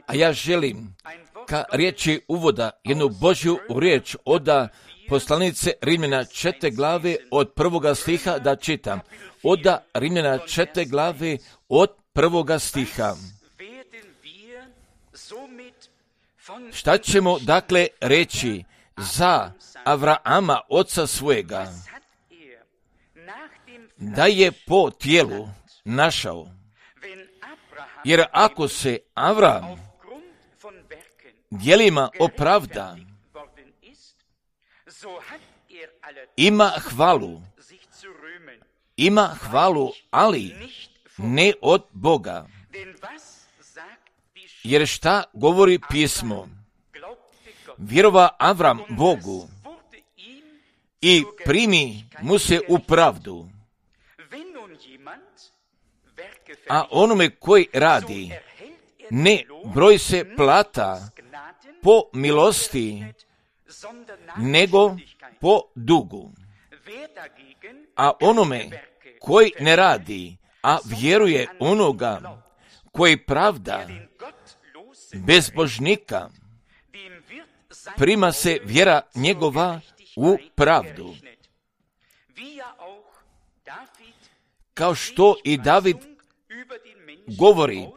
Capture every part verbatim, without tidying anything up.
A ja želim ka riječi uvoda jednu Božju riječ oda poslanice Rimljana četiri glave od prvoga stiha da čitam. Oda Rimljana četiri glave od prvoga stiha. Šta ćemo dakle reći za Avrama, oca svojega, da je po tijelu našao? Jer ako se Avram djelima opravda, ima hvalu, ima hvalu, ali ne od Boga. Jer šta govori pismo? Vjerova Avram Bogu i primi mu se u pravdu. A onome koji radi, ne broj se plata po milosti, nego po dugu. A onome koji ne radi, a vjeruje onoga koji pravda bezbožnika, prima se vjera njegova u pravdu. Kao što i David govori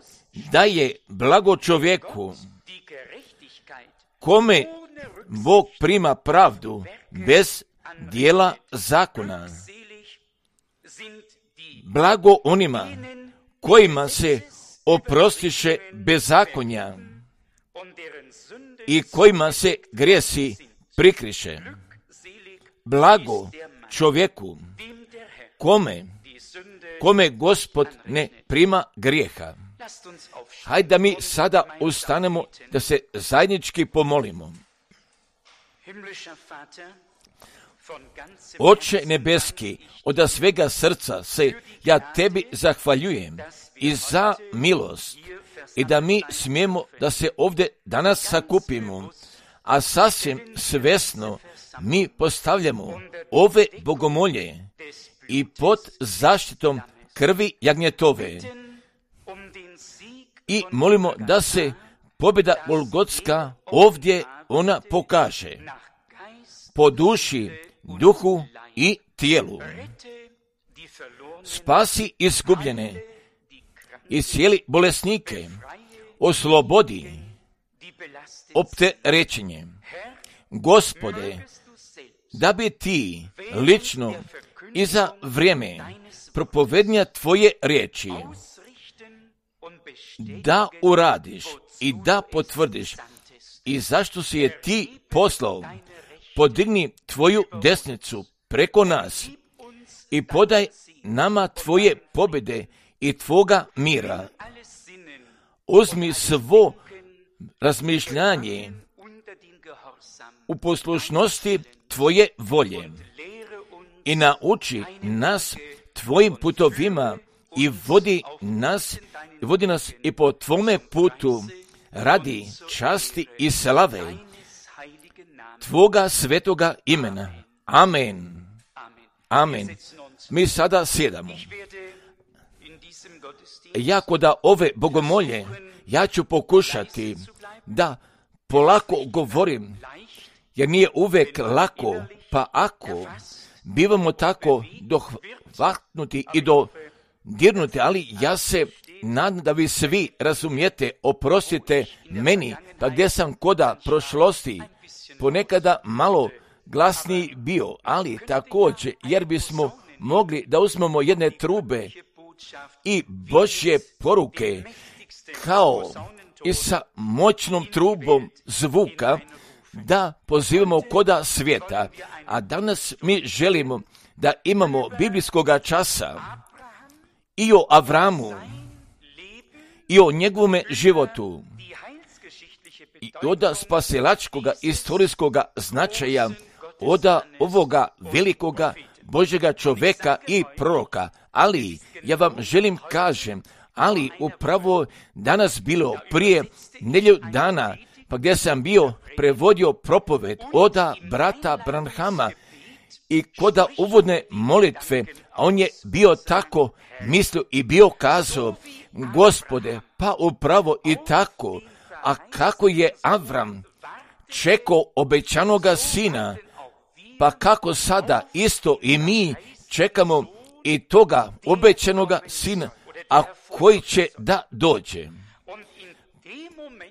da je blago čovjeku kome Bog prima pravdu bez dijela zakona. Blago onima kojima se oprostiše bezakonja i kojima se grijesi prikriše. Blago čovjeku kome, kome Gospod ne prima grijeha. Hajde da mi sada ustanemo da se zajednički pomolimo. Oče nebeski, od svega srca se ja tebi zahvaljujem i za milost i da mi smijemo da se ovdje danas sakupimo, a sasvim svesno mi postavljamo ove bogomolje i pod zaštitom krvi jagnjetove i molimo da se pobjeda Golgotska ovdje ona pokaže po duši, duhu i tijelu. Spasi izgubljene i cijeli bolesnike, oslobodi opterećenje. Gospode, da bi ti lično i za vrijeme propovednja tvoje riječi da uradiš i da potvrdiš i zašto si je ti poslao, podigni tvoju desnicu preko nas i podaj nama tvoje pobjede i tvoga mira. Uzmi svo razmišljanje u poslušnosti tvoje volje i nauči nas tvojim putovima i vodi nas, vodi nas i po tvome putu radi časti i slave tvoga svetoga imena. Amen. Amen. Mi sada sjedamo. Ja koda ove bogomolje, ja ću pokušati da polako govorim, jer nije uvek lako, pa ako bivamo tako dohvatnuti i dodirnuti, ali ja se nadam da vi svi razumijete, oprostite meni, pa gdje sam koda prošlosti ponekada malo glasniji bio, ali također jer bismo mogli da uzmemo jedne trube i Božje poruke kao i sa moćnom trubom zvuka da pozivamo koda svijeta. A danas mi želimo da imamo biblijskoga časa i o Avramu i o njegovome životu i oda spasilačkoga istorijskoga značaja oda ovoga velikoga Božjega čovjeka i proroka. Ali ja vam želim kažem, ali upravo danas bilo prije nedjelju dana, pa gdje sam bio prevodio propoved oda brata Branhama i koda uvodne molitve, a on je bio tako mislio i bio kazao Gospode, pa upravo i tako, a kako je Avram čekao obećanoga sina, pa kako sada isto i mi čekamo i toga obećanoga sina, a koji će da dođe.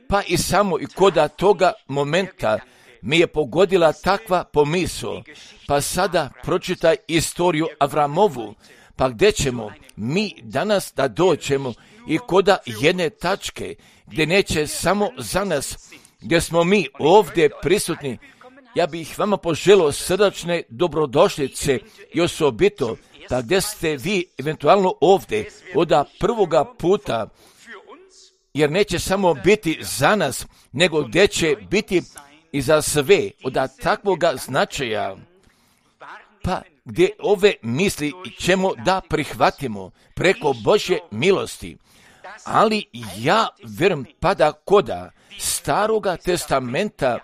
Pa i samo i koda toga momenta mi je pogodila takva pomisao, pa sada pročitaj istoriju Avramovu, pa gdje ćemo mi danas da dođemo i koda jedne tačke, gdje neće samo za nas, gdje smo mi ovdje prisutni. Ja bih vama poželio srdačne dobrodošlice i osobito, pa gdje ste vi eventualno ovdje od prvoga puta, jer neće samo biti za nas, nego gdje će biti i za sve od takvoga značaja, pa gdje ove misli ćemo da prihvatimo preko Božje milosti. Ali ja vjerujem pa da koda Staroga testamenta,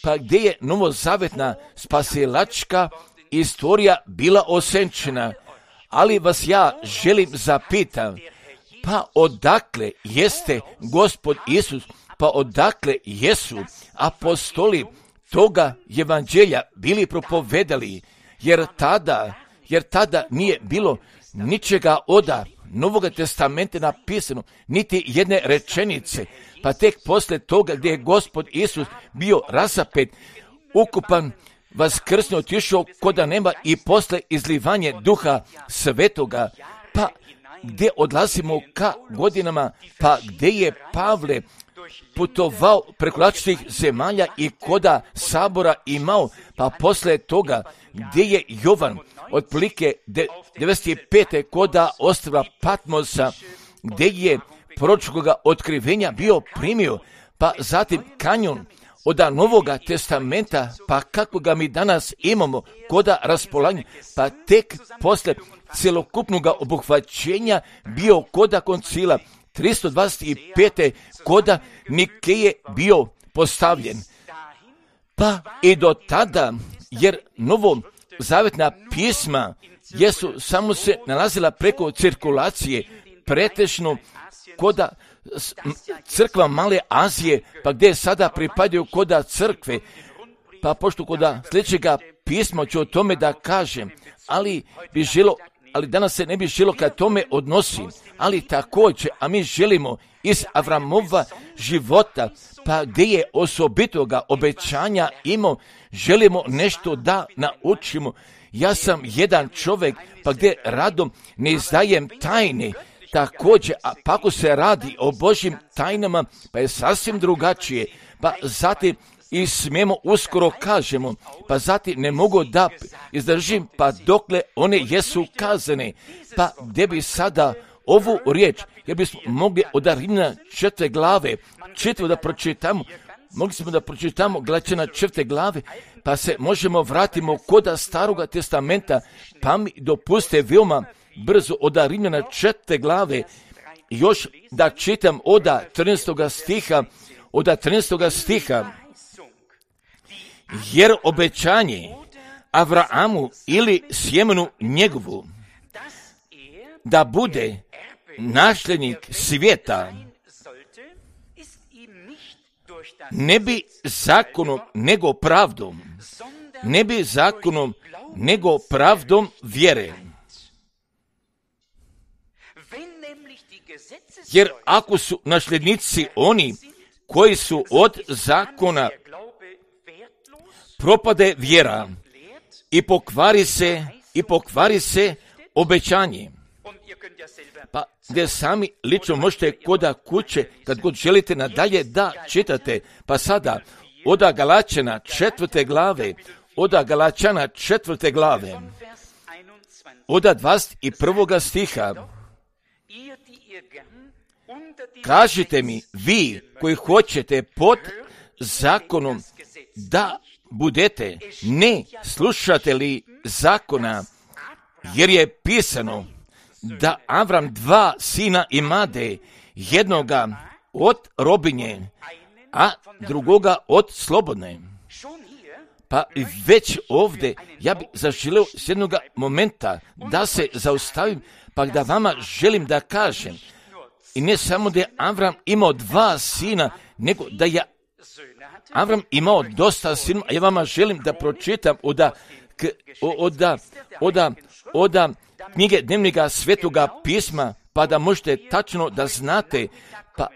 pa gdje je novozavetna spasilačka istorija bila osenčena, ali vas ja želim zapitam, pa odakle jeste Gospod Isus, pa odakle jesu apostoli toga evanđelja bili propovedali, jer tada, jer tada nije bilo ničega oda Novoga testamenta napisano, niti jedne rečenice, pa tek posle toga gdje je Gospod Isus bio rasapet, ukupan, vaskrsno otišao koda nema i posle izlivanje Duha Svetoga, pa gdje odlazimo ka godinama, pa gdje je Pavle putovao preko različitih zemalja i koda sabora imao, pa posle toga gdje je Jovan otprilike devedeset pete koda ostrva Patmosa, gdje je proročkoga otkrivenja bio primio, pa zatim kanjon od Novoga testamenta, pa kako ga mi danas imamo koda raspolaganja, pa tek posle cjelokupnog obuhvaćenja bio koda koncila tristo dvadeset pete koda Nikeje bio postavljen. Pa i do tada, jer novo zavetna pisma jesu samo se nalazila preko cirkulacije, pretežno koda crkva Male Azije, pa gdje sada pripadaju koda crkve, pa pošto koda sljedećega pisma ću o tome da kažem, ali bi želo, ali danas se ne bi želo ka tome odnosi, ali također, a mi želimo iz Avramova života, pa gdje je osobitoga obećanja imao, želimo nešto da naučimo. Ja sam jedan čovjek, pa gdje radom ne izdajem tajne, također, a pa ako se radi o Božjim tajnama, pa je sasvim drugačije, pa zatim i smijemo uskoro kažemo, pa zatim ne mogu da izdržim, pa dokle one jesu kazane, pa gdje bi sada ovu riječ, jer bismo mogli od Rimljana četvrte glave, čitavo da pročitamo, mogli smo da pročitamo Galačana četvrte glave, pa se možemo vratimo koda Staroga testamenta, pa mi dopuste veoma brzo od Rimljana četvrte glave, još da čitam od trinaestoga stiha, od trinaestoga stiha, jer obećanje Avramu ili sjemenu njegovu da bude nasljednik svijeta ne bi zakonom nego pravdom, ne bi zakonom nego pravdom vjere. Jer ako su nasljednici oni koji su od zakona, propade vjera i pokvari se i pokvari se obećanje. Pa gdje sami lično možete koda kuće, kad god želite nadalje da čitate, pa sada oda Galačana četvrte glave, oda Galačana četvrte glave, oda dvadeset prvoga stiha, kažite mi, vi koji hoćete pod zakonom da budete, ne slušate li zakona, jer je pisano da Avram dva sina imade, jednoga od robinje, a drugoga od slobodne. Pa već ovdje ja bih zaželio s jednog momenta da se zaustavim, pa da vama želim da kažem, I ne samo da je Avram imao dva sina, nego da je Avram imao dosta sinova. Ja vama želim da pročitam oda, oda, oda, oda knjige dnevnika Svetoga pisma, pa da možete tačno da znate, pa,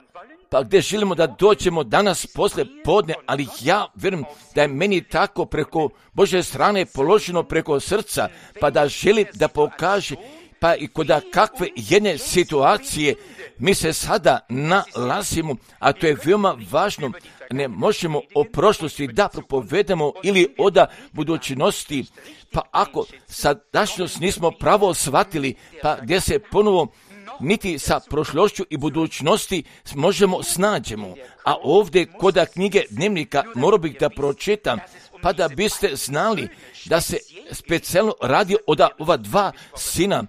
pa gdje želimo da dođemo danas posle podne, ali ja vjerujem da je meni tako preko Božje strane položeno preko srca, pa da želim da pokaže, pa i kod kakve jedne situacije mi se sada nalazimo, a to je veoma važno. Ne možemo o prošlosti da propovedamo ili o da budućnosti, pa ako sadašnjost nismo pravo shvatili, pa gdje se ponovo niti sa prošlošću i budućnosti možemo snađemo. A ovdje kod knjige dnevnika morao bih da pročitam, pa da biste znali da se specijalno radi od ova dva sina.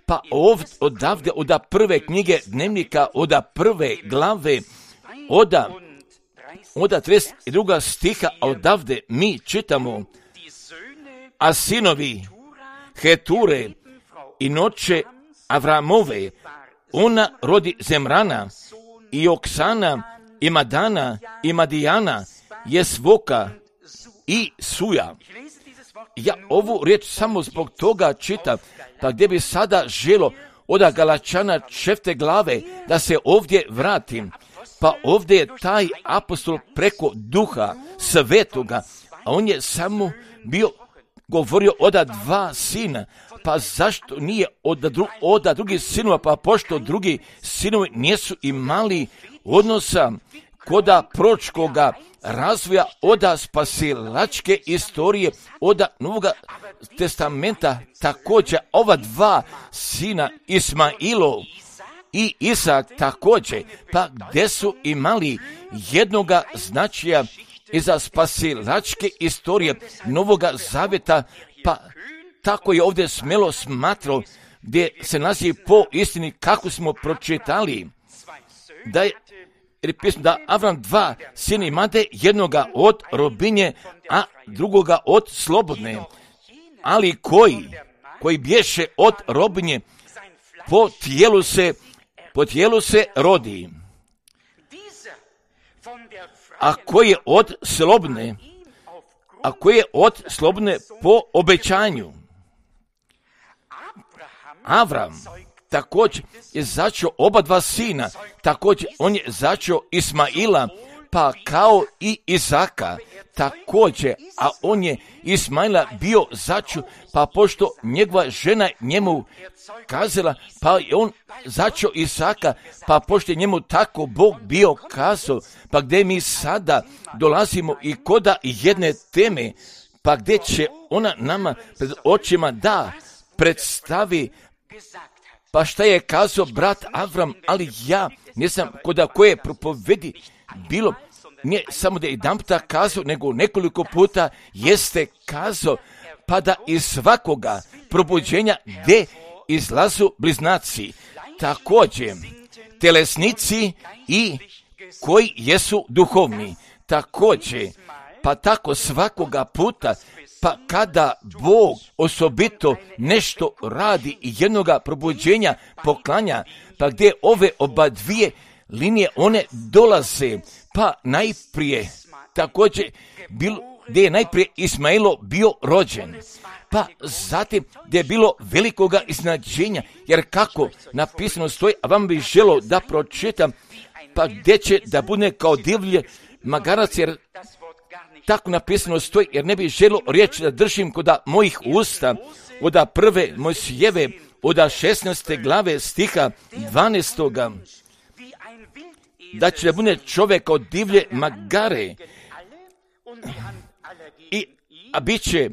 Pa ovdje, odavde, od prve knjige dnevnika, od prve glave, od od trideset drugog stiha, a odavde mi čitamo: a sinovi Heture i noće Avramove, ona rodi Zemrana i Oksana i Madana i Madijana, Jesvoka i Suja. Ja ovu riječ samo zbog toga čitam, pa gdje bi sada želo od Galačana četvrte glave da se ovdje vratim. Pa ovdje je taj apostol preko Duha Svetoga, a on je samo bio govorio od dva sina. Pa zašto nije od, dru, od drugih sinova, pa pošto drugi sinovi nisu imali odnosa koda proročkoga razvoja, od spasilačke istorije, od Novog testamenta, također ova dva sina Ismailov i Isak također, pa gdje su imali jednoga značaja iza spasilačke istorije Novoga zavjeta, pa tako je ovdje smelo smatrao, gdje se nalazi po istini kako smo pročitali, da je pismo da Avram dva sina imade, jednoga od robinje, a drugoga od slobodne. Ali koji, koji bješe od robinje, po tijelu se, po tijelu se rodi. A koji je od slobodne, a koji je od slobodne po obećanju. Avram također je začeo oba dva sina, također on je začeo Ismaila, pa kao i Isaka također, a on je Ismaila bio začeo, pa pošto njegova žena njemu kazala, pa je on začeo Isaka, pa pošto je njemu tako Bog bio kazao, pa gdje mi sada dolazimo i koda jedne teme, pa gdje će ona nama pred očima da predstavi, pa šta je kazao brat Avram, ali ja nisam kod koje propovedi bilo, nije samo da je jedan puta kazao, nego nekoliko puta jeste kazao, pa da iz svakoga probuđenja gdje izlazu bliznaci, također telesnici i koji jesu duhovni, također, pa tako svakoga puta, pa kada Bog osobito nešto radi i jednoga probuđenja poklanja, pa gdje ove oba dvije linije one dolaze, pa najprije također bilo, gdje je najprije Ismailo bio rođen, pa zatim gdje je bilo velikoga iznenađenja, jer kako napisano stoji, a vam bih želio da pročitam, pa gdje će da bude kao divlje magarac, jer tako napisano stoji, jer ne bih želio riječ da držim kod mojih usta, od prve Mojsijeve, od šesnaeste glave stiha dvanaestoga, da će da bude čovjek kao divlje magare, i, a bit će,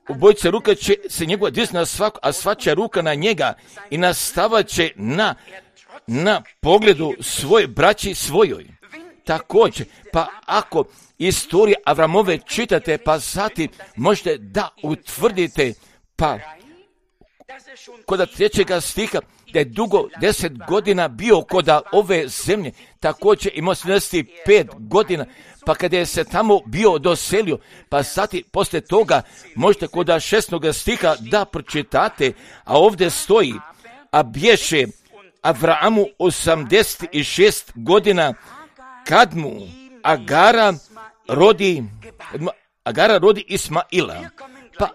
obojica ruka će se njegova disna na svaku, a svačija ruka na njega i nastavat će na, na pogledu svoje braći svojoj. Također, pa ako istorija Avramove čitate, pa zatim možete da utvrdite, pa kod trećega stiha, da je dugo deset godina bio kod ove zemlje, također imao sedamdeset pet godina, pa kada je se tamo bio doselio, pa zatim poslije toga možete kod šestnog stiha da pročitate, a ovdje stoji, a bješe Avramu osamdeset šest godina, kad mu Agara rodi, Agara rodi Ismaila. Pa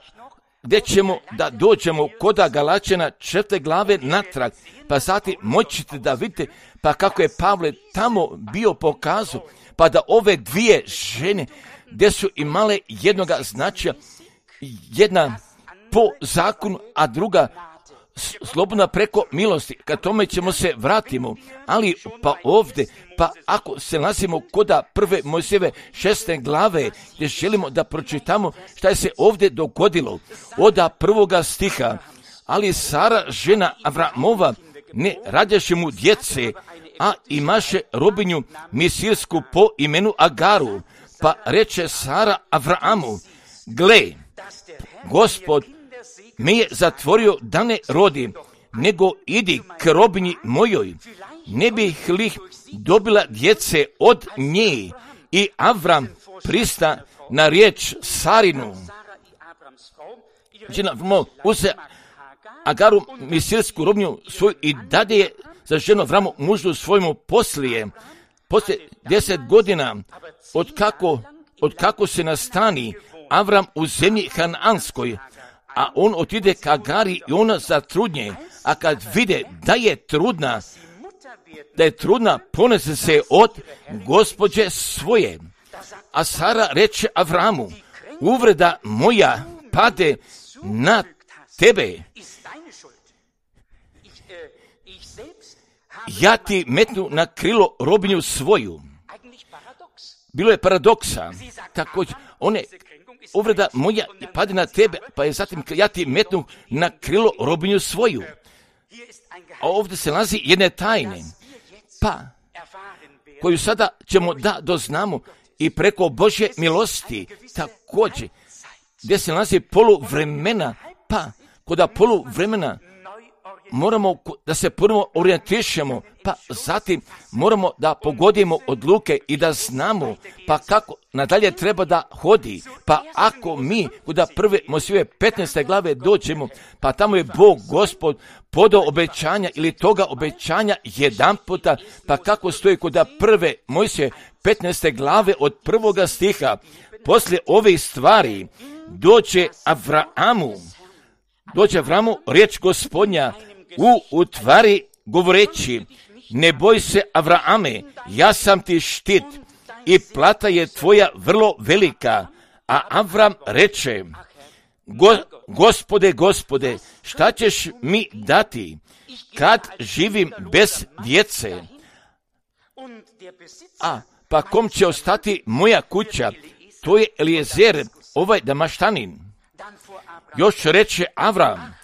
gdje ćemo da dođemo kod Galačana četvrte glave natrag, pa zatim moćete da vidite pa kako je Pavle tamo bio pokazao, pa da ove dvije žene, gdje su imale jednoga značaja, jedna po zakonu, a druga slobodna preko milosti. Kad tome ćemo se vratimo, ali pa ovdje, pa ako se nalazimo kod prve Mojsijeve šeste glave, gdje želimo da pročitamo šta je se ovdje dogodilo, od prvoga stiha, ali Sara, žena Avramova, ne rađaše mu djece, a imaše robinju misirsku po imenu Agaru, pa reče Sara Avramu, gle, Gospod me je zatvorio da ne rodim, nego idi k robinji mojoj, ne bih li dobila djece od nje. I Avram prista na riječ Sarinu. Uze Agaru misirsku robinju svoju i dade je za ženu Avramu mužu svojemu poslije, poslije deset godina, od kako, od kako se nastani Avram u zemlji Hananskoj, a on otide ka Agari i ona zatrudnje, a kad vide da je trudna, da je trudna, ponese se od gospođe svoje. A Sara reče Avramu, uvreda moja pade na tebe. Ja ti metnu na krilo robinju svoju. Bilo je paradoksa. Također, one uvreda moja pade na tebe, pa je zatim ja ti metnu na krilo robinju svoju. A ovdje se nalazi jedne tajne, pa koju sada ćemo da doznamo i preko Božje milosti, također, gdje se nalazi poluvremena, pa kod poluvremena moramo da se prvo orijentišemo, pa zatim moramo da pogodimo odluke i da znamo pa kako nadalje treba da hodi. Pa ako mi kod prve Mojsijeve petnaeste glave dođemo, pa tamo je Bog Gospod podao obećanja ili toga obećanja jedan puta, pa kako stoji kod prve Mojsijeve petnaeste glave od prvoga stiha, poslije ove stvari dođe Avramu, dođe Avramu riječ Gospodnja u utvari govoreći, ne boj se Avrame, ja sam ti štit i plata je tvoja vrlo velika. A Avram reče, Go, Gospode, Gospode, šta ćeš mi dati kad živim bez djece? A pa kom će ostati moja kuća? To je Eliezer, ovaj Damaštanin. Još reče Avram,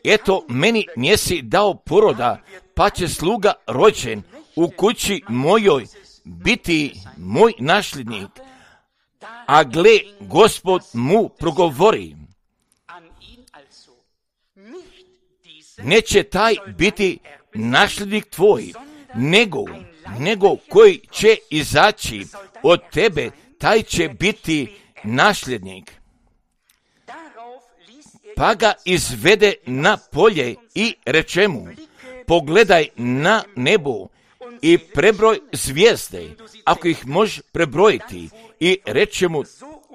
eto, meni njesi dao poroda, pa će sluga rođen u kući mojoj biti moj nasljednik. A gle, Gospod mu progovori, neće taj biti nasljednik tvoj, nego, nego koji će izaći od tebe, taj će biti nasljednik. Pa ga izvede na polje i reče mu, pogledaj na nebo i prebroj zvijezde, ako ih možeš prebrojiti, i reče mu,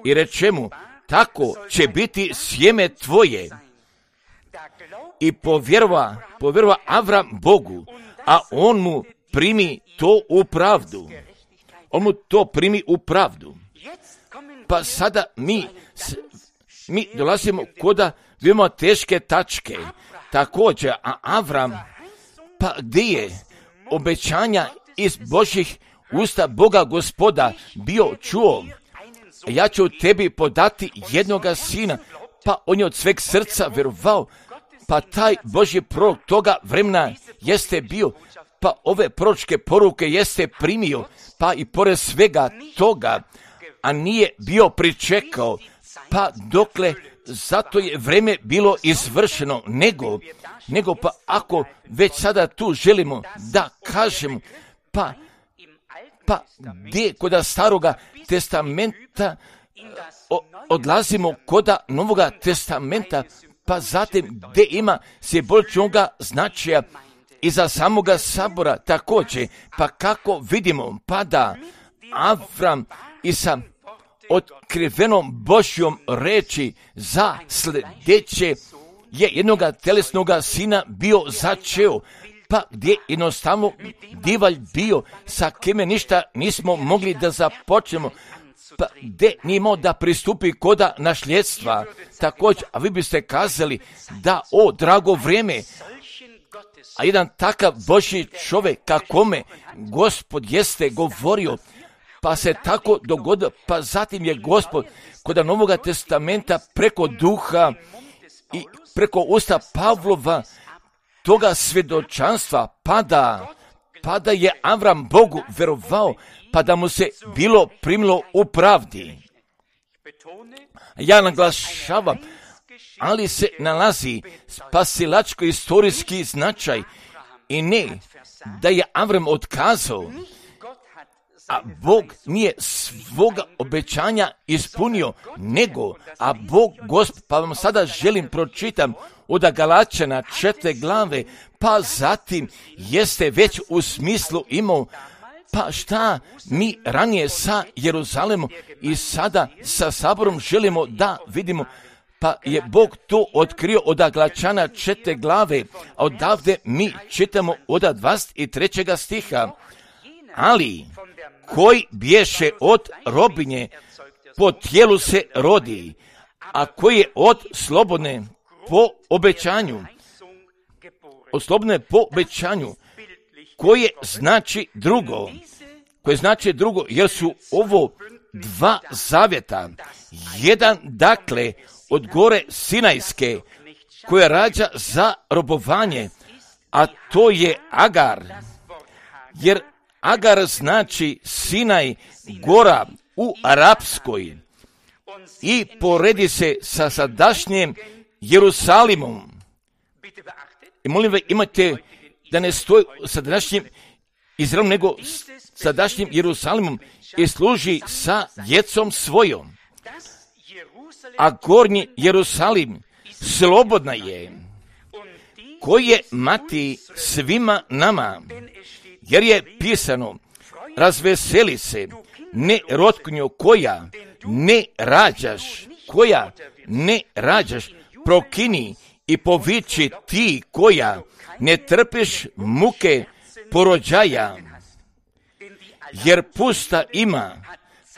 i reče mu, tako će biti sjeme tvoje. I povjerova, povjerova Avram Bogu, a on mu primi to u pravdu. On mu to primi u pravdu. Pa sada mi, mi dolazimo koda vidimo teške tačke. Također, a Avram, pa gdje je obećanja iz Božjih usta Boga Gospoda bio čuo, ja ću tebi podati jednoga sina, pa on je od sveg srca vjerovao, pa taj Božji prorok toga vremena jeste bio, pa ove proročke poruke jeste primio, pa i pored svega toga, a nije bio pričekao, pa dokle, zato je vreme bilo izvršeno, nego, nego pa ako već sada tu želimo da kažemo, pa, pa gdje koda staroga testamenta o, odlazimo koda novoga testamenta, pa zatim gdje ima se bolčnoga značaja, iza samoga sabora također, pa kako vidimo, pada Avram i sa otkrivenom Božjom reči za sljedeće je jednoga telesnoga sina bio začeo, pa gdje jednostavno divalj bio, sa kime ništa nismo mogli da započnemo, pa gdje nimao da pristupi koda nasljedstva. Također, a vi biste kazali da, o, drago vrijeme, a jedan takav Božji čovjek kakome Gospod jeste govorio, pa se tako dogodilo, pa zatim je Gospod kod Novoga testamenta preko duha i preko usta Pavlova toga svjedočanstva pada, pa da je Avram Bogu verovao, pa da mu se bilo primilo u pravdi. Ja naglašavam, ali se nalazi spasilačko istorijski značaj i ne da je Avram otkazao, a Bog nije svoga obećanja ispunio, nego, a Bog Gospod, pa vam sada želim pročitam od Galačana četiri glave, pa zatim jeste već u smislu imao, pa šta mi ranije sa Jeruzalemom i sada sa saborom želimo da vidimo, pa je Bog to otkrio od Galačana četiri glave, a odavde mi čitamo od dvadeset trećeg stiha, ali koji bješe od robinje po tijelu se rodi, a koji je od slobodne po obećanju, od slobodne po obećanju, koje znači drugo, koje znači drugo, jer su ovo dva zavjeta, jedan dakle od gore Sinajske, koja rađa za robovanje, a to je Agar, jer Agar znači Sinaj, gora u arapskoj, i poredi se sa sadašnjim Jerusalimom. I molim vas, imate da ne stoji sadašnjim Izraelom, nego sadašnjim Jerusalimom i služi sa djecom svojom. A gornji Jerusalim slobodna je, koji je mati svima nama, jer je pisano, razveseli se, ne rotkunjo koja ne rađaš, koja ne rađaš, prokini i poviči ti koja ne trpiš muke porođaja, jer pusta ima,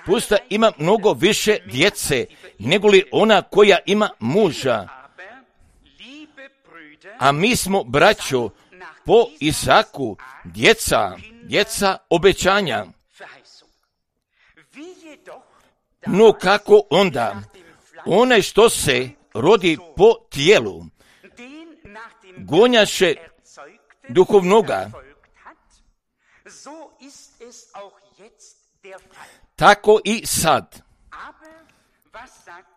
pusta ima mnogo više djece, nego li ona koja ima muža. A mi smo, braćo, po Isaku, djeca, djeca obećanja. No kako onda? Onaj što se rodi po tijelu, gonjaše duhovnoga. Tako i sad.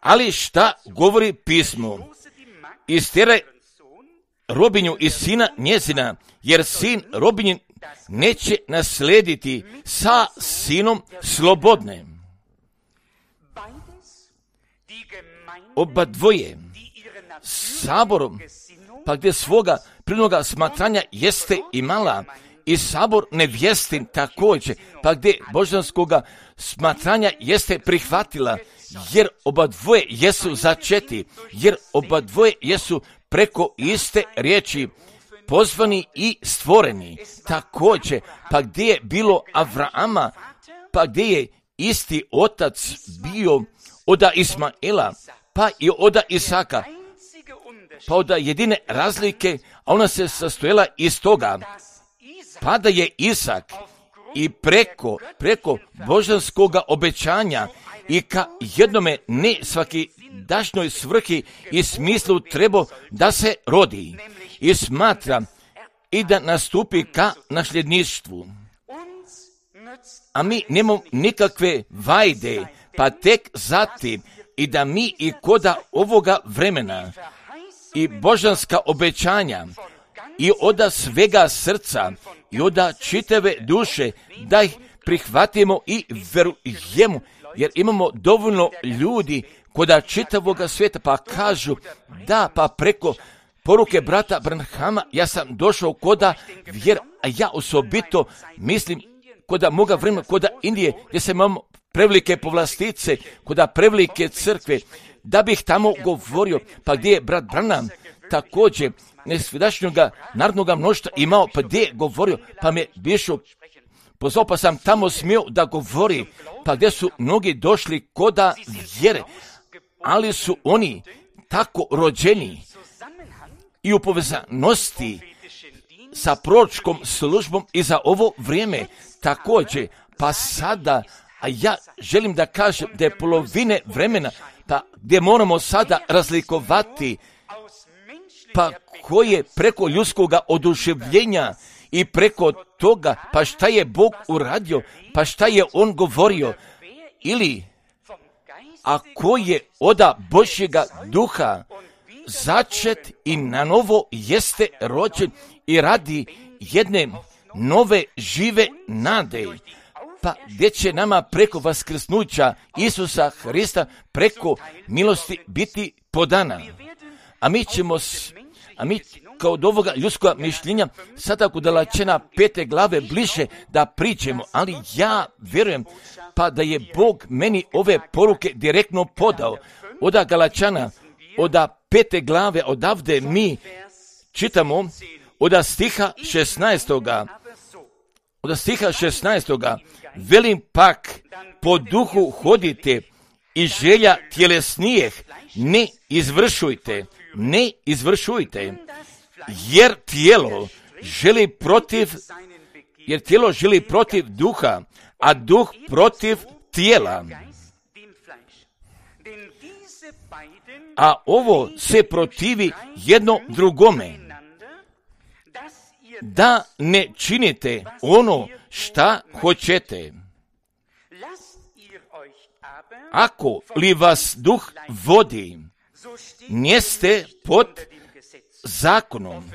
Ali šta govori pismo? Istjeraj robinju i sina njezina, jer sin robinjin neće naslediti sa sinom slobodne. Oba dvoje saborom, pa gdje svoga prirodnoga smatranja jeste imala, i sabor nevjestin također, pa gdje božanskoga smatranja jeste prihvatila, jer oba dvoje jesu začeti, jer oba dvoje jesu preko iste riječi pozvani i stvoreni. Također, pa gdje je bilo Avrama, pa gdje je isti otac bio oda Ismaela, pa i oda Isaka, pa oda jedine razlike, a ona se sastojela iz toga, pa da je Isak i preko, preko božanskoga obećanja i ka jednome ne svaki dašnjoj svrhi i smislu trebao da se rodi i smatra i da nastupi ka nasljedništvu. A mi nemamo nikakve vajde, pa tek zatim i da mi i koda ovoga vremena i božanska obećanja i oda svega srca i oda čitave duše da ih prihvatimo i verujemo, jer imamo dovoljno ljudi koda čitavoga svijeta, pa kažu da, pa preko poruke brata Branhama, ja sam došao koda vjera, a ja osobito mislim koda moga vremena, koda Indije, gdje se imamo prevelike povlastice, koda prevelike crkve, da bih tamo govorio, pa gdje je brat Branham također nesvidašnjoga narodnoga mnoštva imao, pa gdje je govorio, pa me bišu pozvao, pa sam tamo smio da govori, pa gdje su mnogi došli koda vjere, ali su oni tako rođeni i u povezanosti sa proročkom službom i za ovo vrijeme također, pa sada, a ja želim da kažem da je polovine vremena, pa gdje moramo sada razlikovati, pa koje preko ljudskoga oduševljenja i preko toga, pa šta je Bog uradio, pa šta je On govorio, ili a ko je oda Božjega duha začet i na novo jeste rođen i radi jedne nove žive nade, pa gdje će nama preko vaskrsnuća Isusa Hrista preko milosti biti podana. A mi ćemo, a mi kao od ovoga ljudskoga mišljenja sada kod Galačana pete glave bliže da priđemo, ali ja vjerujem pa da je Bog meni ove poruke direktno podao. Oda Galačana, oda pete glave, odavde mi čitamo oda stiha šesnaestoga. Oda stiha šesnaestoga. Velim pak, po duhu hodite i želja tjelesnijeh ne izvršujte, ne izvršujte, jer tijelo želi protiv, jer tijelo želi protiv duha, a duh protiv tijela. A ovo se protivi jedno drugome, da ne činite ono šta hoćete. Ako li vas duh vodi, njeste pod zakonom,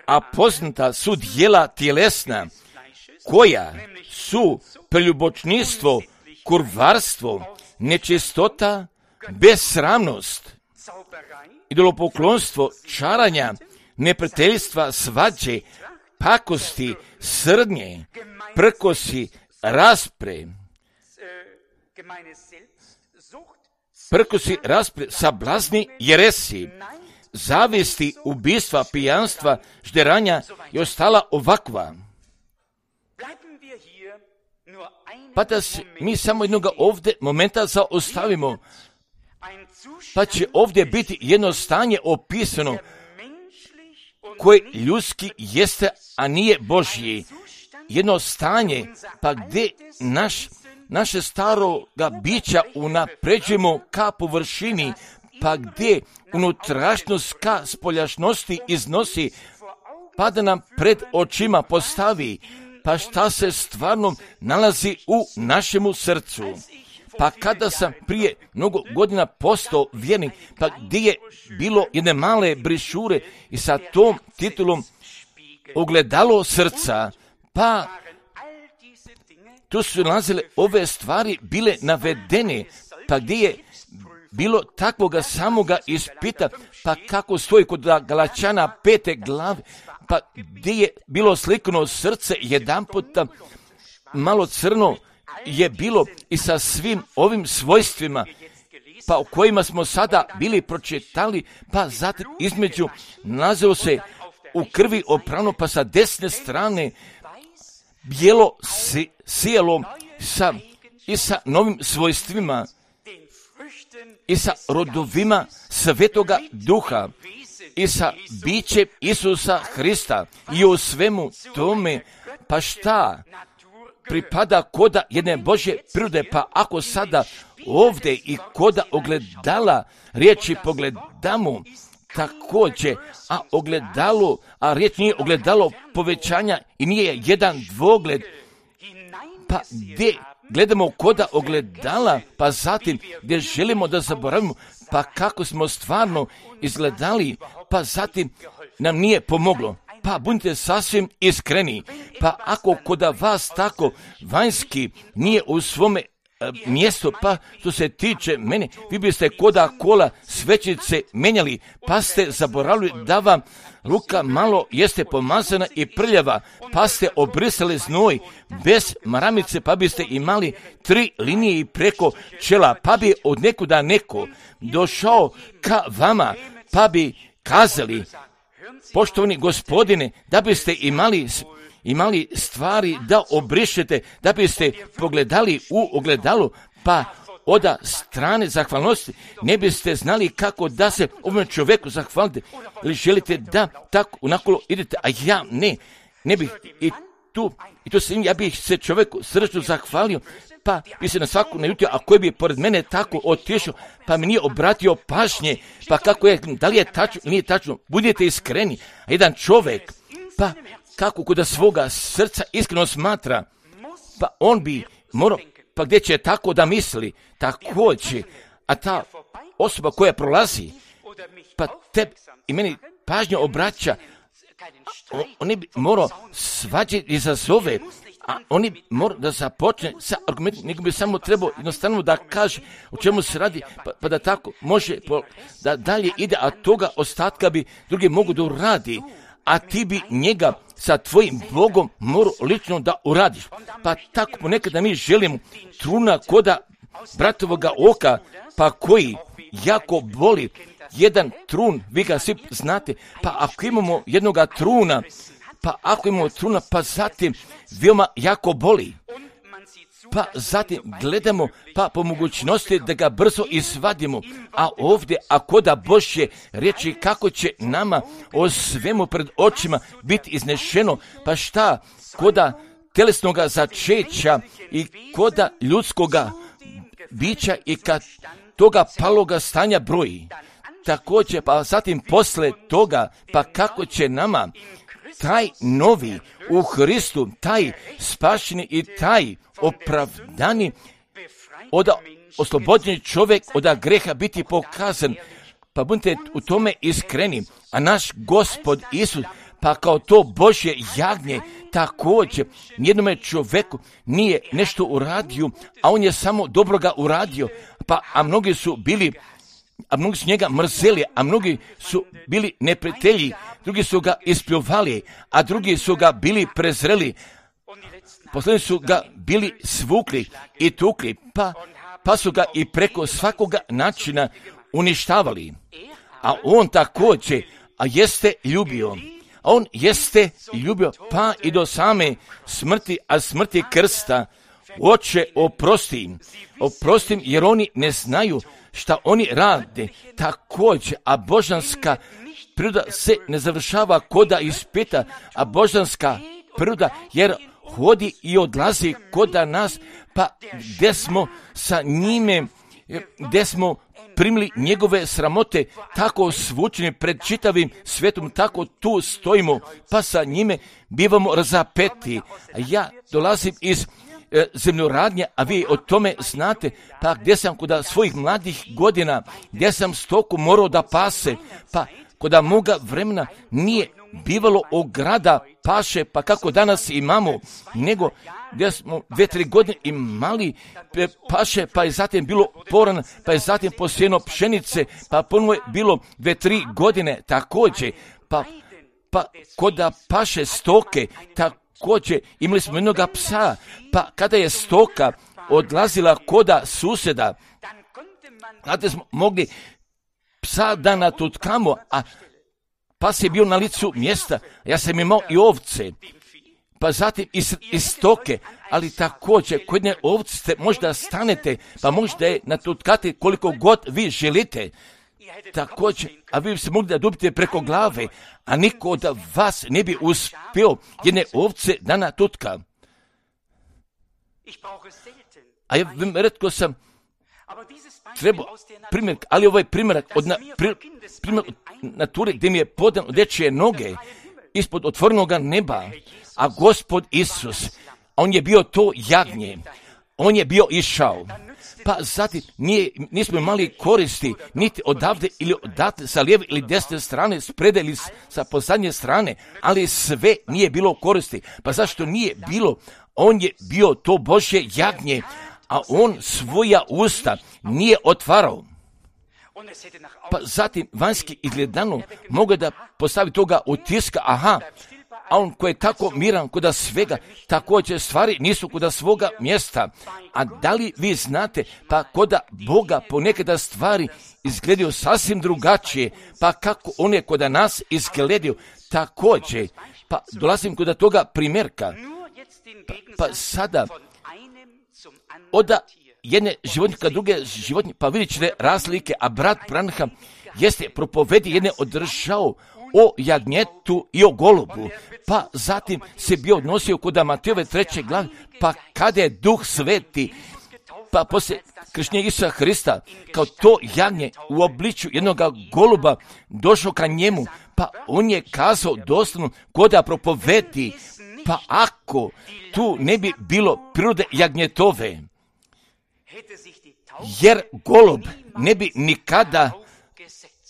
a poznata su djela tjelesna, koja su preljubočništvo, kurvarstvo, nečistota, besramnost, idolopoklonstvo, čaranja, neprijateljstva, svađe, pakosti, srdnje, prkosi, raspre, prkosi, raspre, sablazni, jeresi, zavisti, ubistva, pijanstva, žderanja i ostala ovakva. Pa da se mi samo jednoga ovdje momenta zaostavimo, pa će ovdje biti jedno stanje opisano koje ljudski jeste, a nije Božji. Jedno stanje, pa gdje naš, naše staroga bića unapređujemo ka površini, pa gdje unutrašnjost ka spoljašnosti iznosi, pa da nam pred očima postavi, pa šta se stvarno nalazi u našemu srcu. Pa kada sam prije mnogo godina postao vjernik, pa gdje je bilo jedne male brišure i sa tom titulom ogledalo srca, pa tu su nalazile ove stvari bile navedene, pa gdje je bilo takvoga samoga ispita, pa kako stoji kod Galačana pete glave, pa gdje je bilo slikano srce jedan puta malo crno je bilo i sa svim ovim svojstvima, pa o kojima smo sada bili pročitali, pa zatim između nalazilo se u krvi oprano, pa sa desne strane bijelo si, sijelo sa, i sa novim svojstvima i sa rodovima Svetoga Duha i sa bićem Isusa Hrista i u svemu tome, pa šta pripada koda jedne Božje prirode, pa ako sada ovdje i koda ogledala riječi pogledamo također, a ogledalo, a riječ nije ogledalo povećanja i nije jedan dvogled, pa gdje gledamo koda ogledala, pa zatim gdje želimo da zaboravimo, pa kako smo stvarno izgledali, pa zatim nam nije pomoglo. Pa budite sasvim iskreni, pa ako koda vas tako vanjski nije u svome mjesto, pa što se tiče mene, vi biste koda kola svećice menjali, pa ste zaboravili da vam ruka malo jeste pomazana i prljava, pa ste obrisali znoj bez maramice, pa biste imali tri linije i preko čela, pa bi od nekuda neko došao ka vama, pa bi kazali, poštovani gospodine, da biste imali imali stvari da obrišete, da biste pogledali u ogledalu, pa oda strane zahvalnosti ne biste znali kako da se ovom čovjeku zahvalite, ili želite da tako unakolo idete, a ja ne, ne bih i tu, i tu sam, ja bih se čovjeku srčno zahvalio, pa bi se na svaku naljutio, a koji bi pored mene tako otišao, pa mi nije obratio pažnje, pa kako je, da li je tačno ili nije tačno, budite iskreni, a jedan čovjek, pa kako kod svoga srca iskreno smatra, pa on bi morao, pa gdje će tako da misli, također, a ta osoba koja prolazi, pa tebi i meni pažnju obraća, on, on bi morao svađati izazove, a oni bi morao da započne sa argumentom, nego bi samo trebao jednostavno da kaže o čemu se radi, pa, pa da tako može da dalje ide, a toga ostatka bi drugi mogu da uradi, a ti bi njega sa tvojim Bogom morao lično da uradiš. Pa tako ponekada mi želimo truna koda bratovoga oka, pa koji jako boli, jedan trun, vi ga svi znate, pa ako imamo jednoga truna, pa ako imamo truna, pa zatim veoma jako boli. Pa zatim gledamo, pa po mogućnosti da ga brzo izvadimo, a ovdje, ako da Božje riječi kako će nama o svemu pred očima biti iznešeno, pa šta, koda telesnoga začeća i koda ljudskoga bića i kad toga paloga stanja broji. Također, pa zatim posle toga, pa kako će nama taj novi u Hristu, taj spašeni i taj opravdani, od oslobođeni čovjek od greha biti pokazan, pa budite u tome iskreni, a naš Gospod Isus, pa kao to Božje jagnje, također nijednome čovjeku nije nešto uradio, a on je samo dobroga uradio, pa a mnogi su bili a mnogi su njega mrzeli, a mnogi su bili neprijatelji, drugi su ga ispljuvali, a drugi su ga bili prezreli, posljednji su ga bili svukli i tukli, pa, pa su ga i preko svakoga načina uništavali. A on također, a jeste ljubio, a on jeste ljubio, pa i do same smrti, a smrti krsta, Oče, oprosti im, oprosti im, jer oni ne znaju šta oni rade. Također, a božanska priroda se ne završava koda ispita, a božanska priroda, jer hodi i odlazi koda nas, pa gdje smo sa njime, gdje smo primili njegove sramote, tako svučeni pred čitavim svetom, tako tu stojimo, pa sa njime bivamo razapeti. Ja dolazim iz e, zemljoradnje, a vi o tome znate, pa gdje sam kod svojih mladih godina, gdje sam stoku morao da pase, pa kod moga vremena nije bivalo ograda paše, pa kako danas imamo, nego gdje smo dve, tri godine imali paše, pa je zatim bilo poran, pa je zatim posijeno pšenice, pa ponovo je bilo dve, tri godine također, pa, pa kod paše stoke, također imali smo jednoga psa, pa kada je stoka odlazila koda susjeda, kada smo mogli psa da natutkamo, a pas je bio na licu mjesta, ja sam imao i ovce, pa zatim i, i stoke, ali također kod jedne ovce možda stanete, pa možda je natutkate koliko god vi želite, također, a vi se mogli da dobite preko glave, a niko od vas ne bi uspio jedne ovce da natutka. A ja redko sam treba primjer, ali ovaj primjerak od na, pri, primjer od nature gdje mi je podan od dečije noge ispod otvorenog neba, a Gospod Isus, on je bio to jagnje, on je bio išao, pa zatim nije, nismo imali koristi niti odavde ili odavde sa lijeve ili desne strane, s prede ili sa posadnje strane, ali sve nije bilo koristi, pa zašto nije bilo, on je bio to Božje jagnje, a on svoja usta nije otvarao. Pa zatim vanjski izgledano mogu da postavi toga utiska, aha, a on koji je tako miran kuda svega, također stvari nisu kuda svoga mjesta. A da li vi znate, pa koda Boga ponekada stvari izgledaju sasvim drugačije, pa kako one koda nas izgledaju također. Pa dolazim kuda toga primjerka. Pa, pa sada oda jedne životinje ka druge životinje, pa vidjet ćete razlike, a brat Branham jeste propovedi jedne održao o jagnjetu i o golubu, pa zatim se bio odnosio kod Matejove treće glave, pa kada je Duh Sveti, pa poslije krštenja Isusa Hrista, kao to jagnje u obličju jednog goluba došao ka njemu, pa on je kazao doslovno koda propovedi, pa ako tu ne bi bilo prirode jagnjetove, jer golub ne bi nikada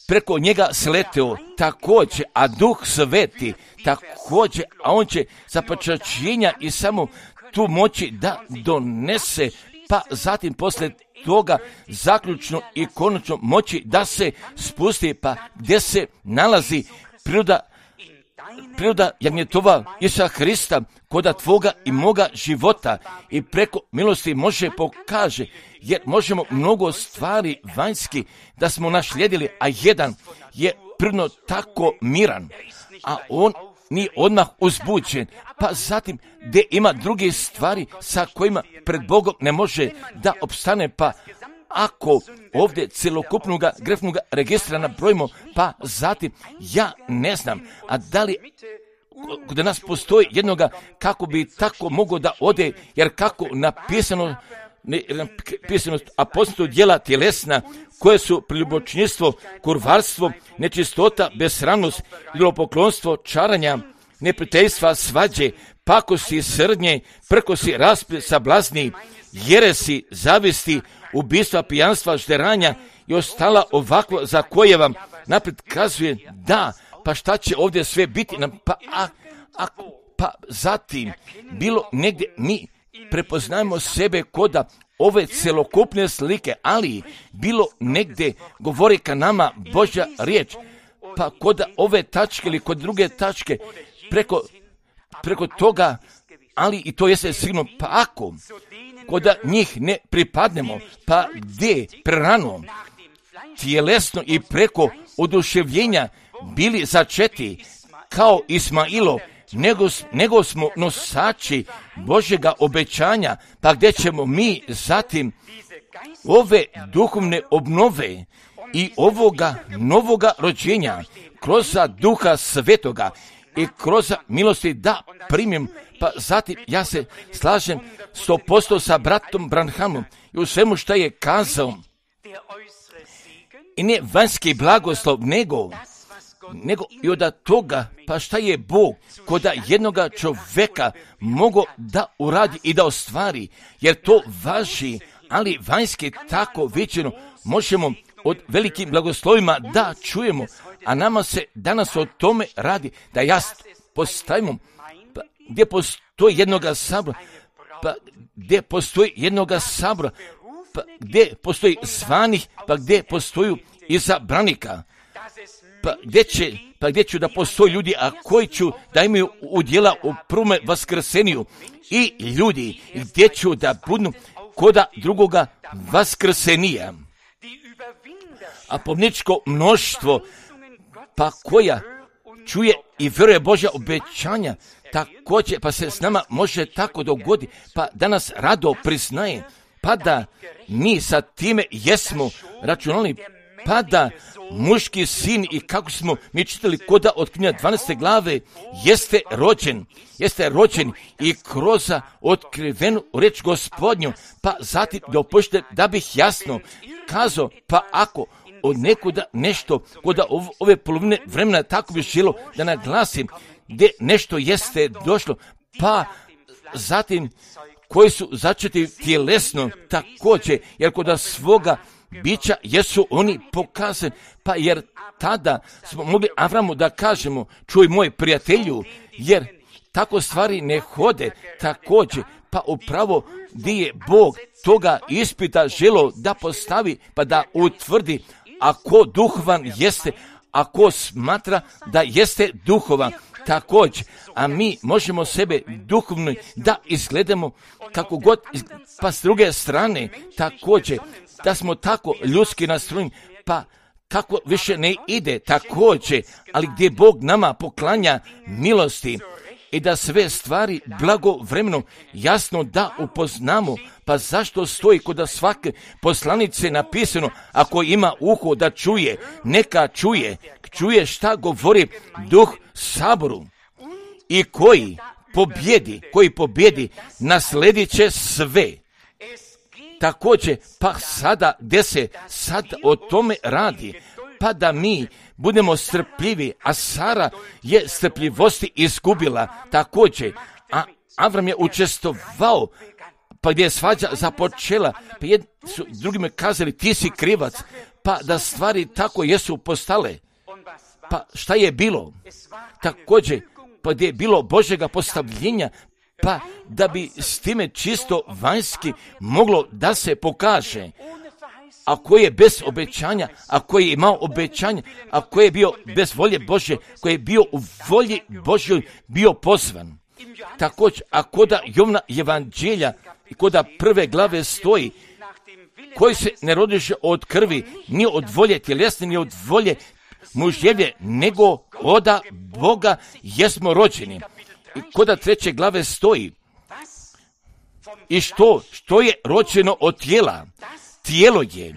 preko njega sleteo također, a Duh Sveti također, a on će za počašćenja i samo tu moći da donese, pa zatim poslije toga zaključno i konačno moći da se spusti, pa gdje se nalazi priroda, priroda jagnjetova Isusa Hrista koda tvoga i moga života i preko milosti može pokaže, jer možemo mnogo stvari vanjski da smo našlijedili, a jedan je prirodno tako miran, a on nije odmah uzbuđen, pa zatim gdje ima druge stvari sa kojima pred Bogom ne može da opstane, pa ako ovdje celokupnog grefnog registra nabrojimo, pa zatim ja ne znam, a da li kod nas postoji jednoga kako bi tako mogao da ode, jer kako napisano, ne, napisano a poznato djela tjelesna, koje su preljubočinjstvo, kurvarstvo, nečistota, besramnost, idolopoklonstvo, čaranja, neprijateljstva, svađe, pakosti, srdnje, prkosi, rasplet, sablazni, jeresi, zavisti, ubistva, pijanstva, žderanja i ostala ovakva za koje vam naprijed kazuje da, pa šta će ovdje sve biti, pa, a, a, pa zatim bilo negdje mi prepoznajemo sebe koda ove celokupne slike, ali bilo negdje govori ka nama Božja riječ, pa koda ove tačke ili kod druge tačke preko, preko toga, ali i to jeste sigurno, pa ako koda njih ne pripadnemo, pa gdje prerano, tjelesno i preko oduševljenja bili začeti kao Ismailo, nego, nego smo nosači Božjega obećanja, pa gdje ćemo mi zatim ove duhovne obnove i ovoga novoga rođenja kroz Duha Svetoga i kroz milosti da primim, pa zatim ja se slažem sto posto sa bratom Branhamom i u svemu što je kazao. I ne vanjski blagoslov, nego, nego i od toga, pa šta je Bog koda jednoga čovjeka mogo da uradi i da ostvari, jer to važi, ali vanjski tako većino možemo od velikim blagoslovima da čujemo, a nama se danas o tome radi, da ja postavimo, pa gdje postoji jednoga sabora, pa gdje postoji jednoga sabora, pa gdje postoji zvanih, pa gdje postoji izabranika, pa gdje će, pa gdje ću da postoji ljudi, a koji ću da imaju udjela u prvome vaskrseniju i ljudi, gdje ću da budu koda drugoga vaskrsenija. A pomničko mnoštvo, pa koja čuje i vjeruje Božja obećanja, također, pa se s nama može tako dogoditi, pa danas rado priznaje, pa da mi sa time jesmo računali, pa da muški sin i kako smo mi čitali koda od knjiga dvanaeste glave jeste rođen, jeste rođen i kroz otkrivenu reč Gospodnju, pa zatim dopušte da bih jasno kazao, pa ako od nekuda nešto koda ove polovine vremena tako bi želo da naglasim gdje nešto jeste došlo, pa zatim koji su začeti tjelesno također, jer koda svoga bića jesu oni pokazani, pa jer tada smo mogli Avramu da kažemo, čuj moj prijatelju, jer tako stvari ne hode također, pa upravo gdje je Bog toga ispita želo da postavi, pa da utvrdi ako duhovan jeste, ako smatra da jeste duhovan. Također, a mi možemo sebe duhovno da izgledamo kako god, pa s druge strane također da smo tako ljudski nastrojeni, pa kako više ne ide također, ali gdje Bog nama poklanja milosti i da sve stvari blagovremeno jasno da upoznamo, pa zašto stoji kod svake poslanice napisano, ako ima uho da čuje, neka čuje, čuje šta govori Duh Saboru. I koji pobjedi, koji pobjedi, nasledit će sve. Također, pa sada, gdje se sad o tome radi, pa da mi budemo strpljivi, a Sara je strpljivosti izgubila također, a Avram je učestvovao, pa gdje je svađa započela, pa jedni su drugima kazali ti si krivac, pa da stvari tako jesu postale. Pa šta je bilo? Također, pa gdje je bilo Božjega postavljenja, pa da bi s time čisto vanjski moglo da se pokaže. Ako je bez obećanja, ako je imao obećanje, ako je bio bez volje Božje, koji je bio u volji Božjoj, bio pozvan. Također, a koda Jovna evanđelja i koda prve glave stoji, koji se ne rodiše od krvi, ni od volje tjelesne, ni od volje mužjevlje, nego oda Boga jesmo rođeni. I koda treće glave stoji, i što, što je rođeno od tijela? Tijelo je.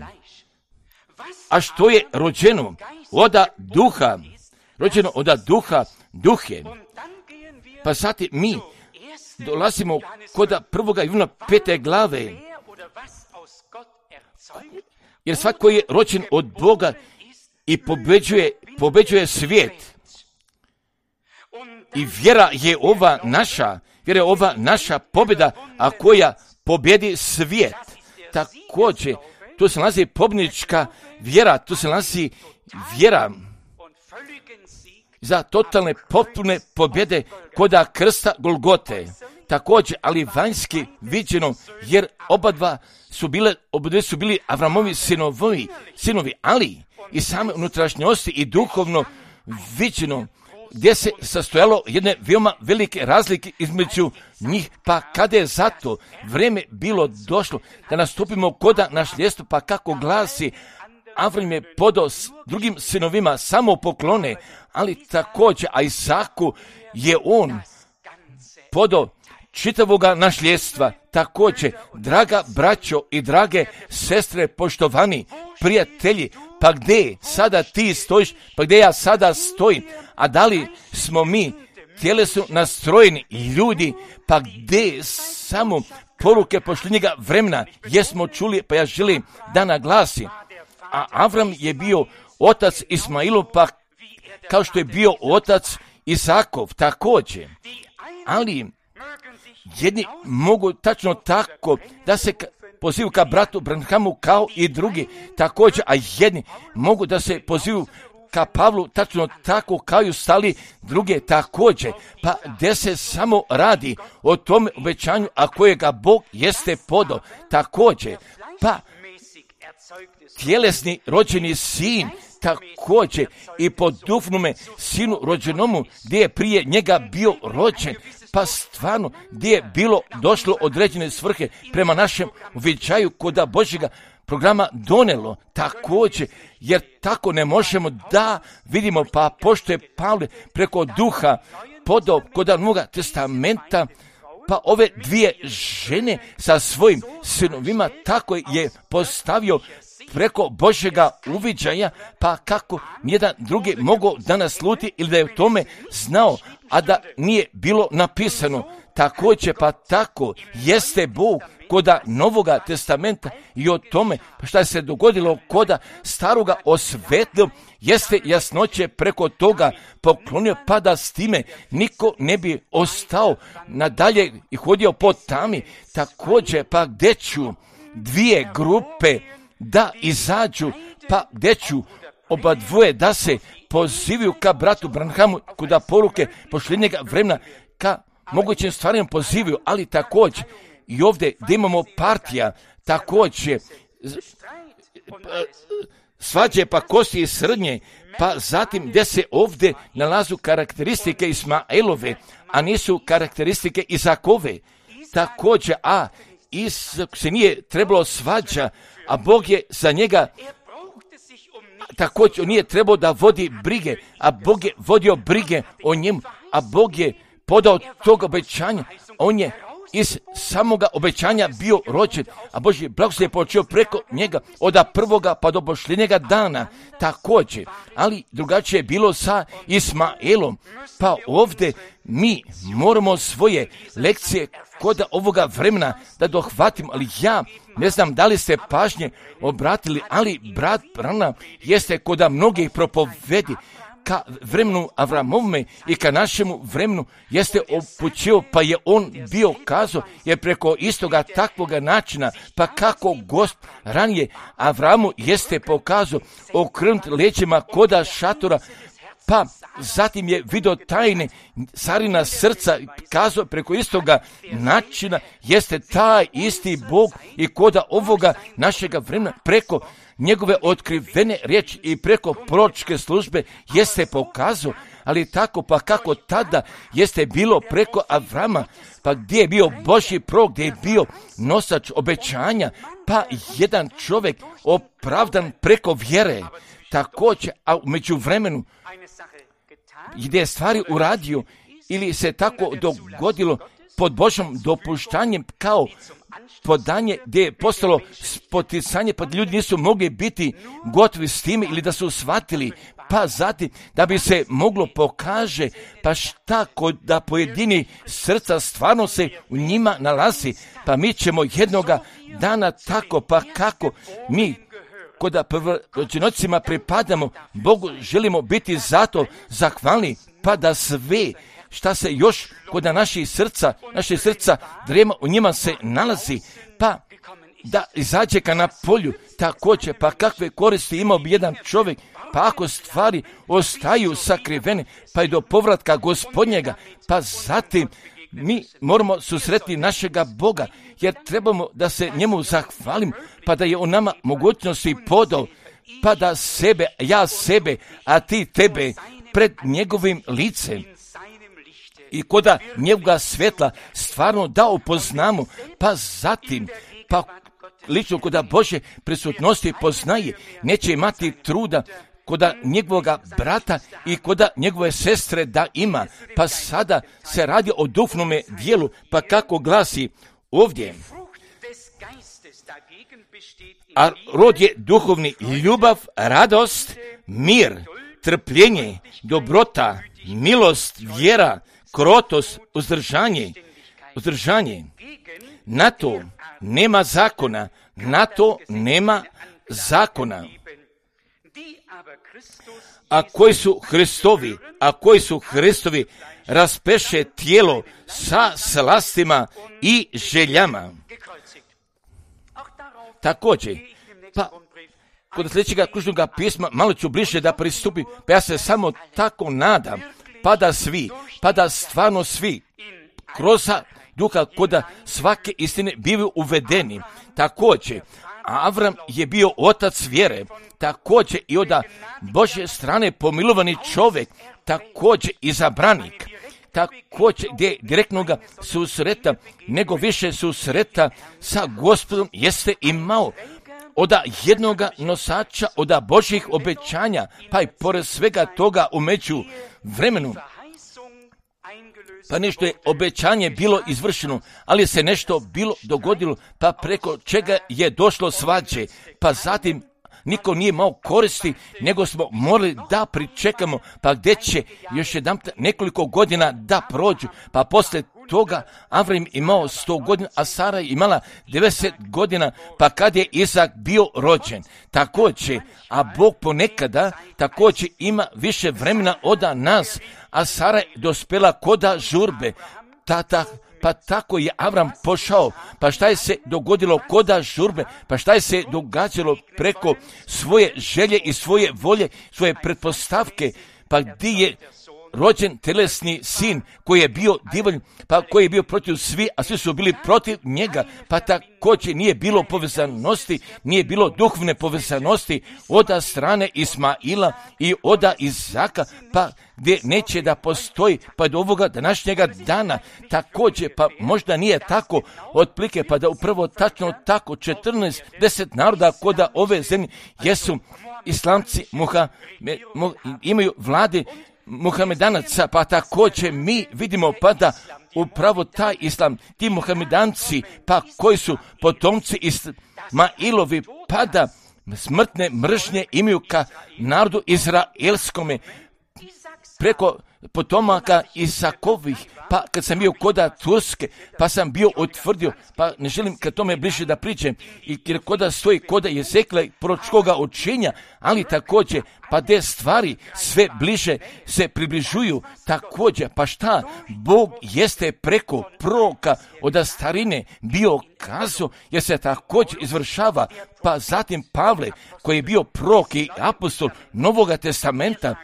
A što je rođeno oda duha? Rođeno oda duha, duh je. Pa sad mi dolazimo koda prvoga Jovna pete glave. Jer svako je rođen od Boga i pobeđuje, pobeđuje svijet. I vjera je ova naša, vjera je ova naša pobjeda, a koja pobjedi svijet. Također, tu se nalazi pobjednička vjera, tu se nalazi vjera za totalne potpune pobjede koda krsta Golgote. Također, ali vanjski viđeno, jer oba dva su bile, oba su bili Avramovi sinovi, sinovi, ali i same unutrašnjosti i duhovno viđeno, gdje se sastojalo jedne veoma velike razlike između njih, pa kada je zato vrijeme bilo došlo da nastupimo koda nasljedstvo, pa kako glasi, Avram je podao s drugim sinovima samo poklone, ali također, a Isaku je on podao čitavoga nasljedstva. Također, draga braćo i drage sestre, poštovani prijatelji, pa gdje sada ti stojiš, pa gdje ja sada stojim, a da li smo mi tjelesno nastrojeni ljudi, pa gdje samo poruke posljednjega vremena jesmo čuli, pa ja želim da naglasim. A Avram je bio otac Ismailu, pa kao što je bio otac Isakov također. Ali jedni mogu tačno tako da se pozivu ka bratu Branhamu kao i drugi također, a jedni mogu da se pozivu ka Pavlu tačno tako kao i ostali druge također, pa gdje se samo radi o tome obećanju, a kojega Bog jeste podao također, pa tjelesni rođeni sin također i po duhovnome sinu rođenomu gdje je prije njega bio rođen, pa stvarno gdje je bilo došlo određene svrhe prema našem uviđaju koda Božjega programa donelo također, jer tako ne možemo da vidimo, pa pošto je Pavle preko duha podao koda Novoga testamenta, pa ove dvije žene sa svojim sinovima tako je postavio preko Božjega uviđaja, pa kako nijedan drugi mogao da nasluti ili da je u tome znao, a da nije bilo napisano. Također, pa tako jeste Bog koda Novoga testamenta i o tome pa šta se dogodilo koda staroga osvetlio, jeste jasnoće preko toga poklonio, pa da s time niko ne bi ostao nadalje i hodio po tami. Također, pa gdje ću dvije grupe da izađu, pa gdje ću oba dvoje da se pozivaju ka bratu Branhamu kuda poruke posljednjega vremena, ka mogućim stvarima pozivaju, ali također i ovdje gdje imamo partija, također svađe pa kosti i srednje, pa zatim gdje se ovdje nalazu karakteristike Ismaelove, a nisu karakteristike Izakove. Također, a Isak se nije trebalo svađa, a Bog je za njega također nije trebao da vodi brige, a Bog je vodio brige o njemu, a Bog je podao tog obećanja. On je iz samoga obećanja bio rođen, a Božji blagoslov je počeo preko njega od prvoga pa do posljednjega dana također. Ali drugačije je bilo sa Ismaelom, pa ovdje mi moramo svoje lekcije kod ovoga vremena da dohvatimo, ali ja ne znam da li ste pažnje obratili, ali brat Branham jeste kod mnogih propovedi ka vremenu Avramovome i ka našemu vremenu jeste upućio, pa je on bio kazao, jer preko istoga takvoga načina, pa kako Gost ranije Avramu jeste pokazao okrenut leđima koda šatora, pa zatim je vidio tajne carina srca, kazao preko istoga načina jeste taj isti Bog i koda ovoga našega vremena preko njegove otkrivene riječi i preko proročke službe jeste pokazao, ali tako pa kako tada jeste bilo preko Avrama, pa gdje je bio Božji prorok, gdje je bio nosač obećanja, pa jedan čovjek opravdan preko vjere, također, a u međuvremenu gdje je stvari uradio ili se tako dogodilo pod Božjom dopuštanjem kao podanje gdje je postalo spoticanje, pa ljudi nisu mogli biti gotovi s time ili da su shvatili, pa zatim da bi se moglo pokaže pa šta kod da pojedini srca stvarno se u njima nalazi, pa mi ćemo jednoga dana tako pa kako mi kod prvorođenocima pripadamo Bogu, želimo biti zato zahvalni, pa da sve šta se još kod naših srca, naše srca drema u njima se nalazi, pa da izađe ka na polju, također, pa kakve koristi imao bi jedan čovjek, pa ako stvari ostaju sakrivene, pa i do povratka Gospodnjega, pa zatim mi moramo susretiti našega Boga, jer trebamo da se njemu zahvalim, pa da je on nama mogućnosti podao, pa da sebe, ja sebe, a ti tebe pred njegovim licem i koda njega svjetla stvarno da upoznamo, pa zatim, pa lično koda Bože prisutnosti poznaje, neće imati truda koda njegovoga brata i koda njegove sestre da ima, pa sada se radi o duhovnome dijelu, pa kako glasi ovdje. A rod je duhovni ljubav, radost, mir, trpljenje, dobrota, milost, vjera, krotost, uzdržanje, uzdržanje. Na to nema zakona, na to nema zakona. A koji su Hristovi, a koji su Hristovi raspeše tijelo sa slastima i željama. Također, pa kod sljedećega kružnoga pisma malo ću bliže da pristupim, pa ja se samo tako nadam, pa da svi, pa da stvarno svi kroz duha koda svake istine bivaju uvedeni. Također, Avram je bio otac vjere, također i od Božje strane pomilovani čovjek, također izabranik, također gdje direktno ga susreta, nego više susreta sa Gospodom jeste imao od jednoga nosača, od Božjih obećanja, pa i pored svega toga u među vremenu. Pa nešto je obećanje bilo izvršeno, ali se nešto bilo dogodilo, pa preko čega je došlo svađe, pa zatim niko nije imao koristi, nego smo morali da pričekamo, pa gdje će još jedan nekoliko godina da prođu, pa poslije toga Avram imao sto godina, a Sara je imala devedeset godina, pa kad je Izak bio rođen. Također, a Bog ponekada također ima više vremena od nas, a Sara je dospjela koda žurbe. Tata, pa tako je Avram pošao, pa šta je se dogodilo koda žurbe, pa šta je se događalo preko svoje želje i svoje volje, svoje pretpostavke, pa gdje je rođen telesni sin koji je bio divan, pa koji je bio protiv svi, a svi su bili protiv njega, pa također nije bilo povezanosti, nije bilo duhovne povezanosti oda strane Ismaila i oda Izaka, pa gdje neće da postoji pa do ovoga današnjega dana također, pa možda nije tako otplike, pa da upravo tačno tako četrnaest deset naroda koda ove zemlje jesu islamci, muha, mu, imaju vlade Muhamedanaca, pa također mi vidimo pa da upravo taj islam, ti Muhamedanci, pa koji su potomci Ismailovi, pa da smrtne mržnje imaju ka narodu izraelskome preko potomaka Isakovih, pa kad sam bio koda Turske, pa sam bio utvrdio, pa ne želim kad tome bliže da pričam, i jer koda stoji koda Jezekla proročkoga učenja, ali također, pa te stvari sve bliže se približuju također, pa šta, Bog jeste preko proroka od starine bio kazao, jer se također izvršava, pa zatim Pavle, koji je bio prorok i apostol Novoga testamenta,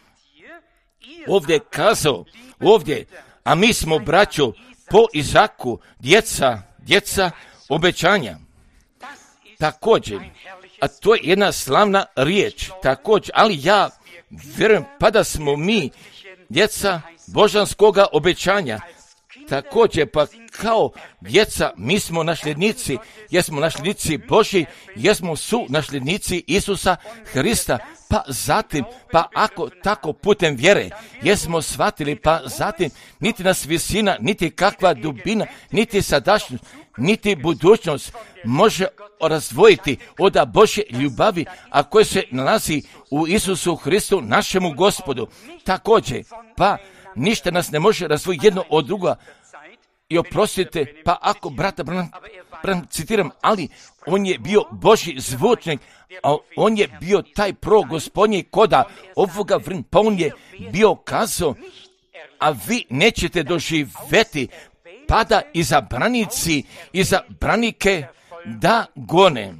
ovdje je kazao, ovdje, a mi smo, braćo, po Izaku, djeca, djeca obećanja. Također, a to je jedna slavna riječ, također, ali ja vjerujem pa da smo mi djeca božanskoga obećanja. Također, pa kao djeca, mi smo nasljednici, jesmo nasljednici Božji, jesmo su nasljednici Isusa Hrista, pa zatim, pa ako tako putem vjere, jesmo shvatili, pa zatim, niti nas visina, niti kakva dubina, niti sadašnjost, niti budućnost može razdvojiti od Božje ljubavi, a koje se nalazi u Isusu Hristu, našemu Gospodu. Također, pa ništa nas ne može razdvojiti jedno od druga. I oprostite, pa ako brata Branham, Branham citiram, ali on je bio Božji zvučnik, a on je bio taj pro gospodnji koda ovoga vremena, pa on je bio kazao, a vi nećete doživjeti pada iza branici, iza branike da gone.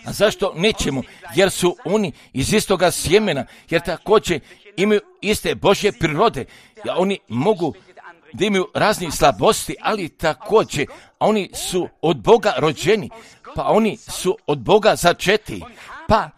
A zašto nećemo? Jer su oni iz istoga sjemena, jer također imaju iste Božje prirode, ja, oni mogu da imaju razne slabosti, ali također oni su od Boga rođeni, pa oni su od Boga začeti, pa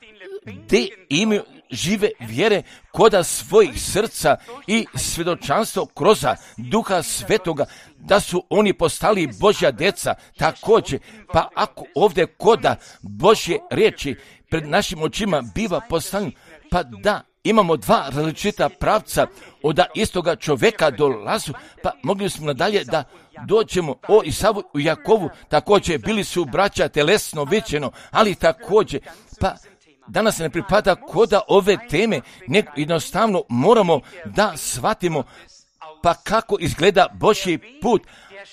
gdje imaju žive vjere koda svojih srca i svjedočanstvo kroz Duha Svetoga, da su oni postali Božja djeca također, pa ako ovdje koda Božje riječi pred našim očima biva postavljeno, pa da imamo dva različita pravca od istoga čovjeka dolazu, pa mogli smo nadalje da dođemo o Isavu i Jakovu, također bili su braća telesno viđeno, ali također, pa danas ne pripada koda ove teme, nego jednostavno moramo da shvatimo pa kako izgleda Božji put,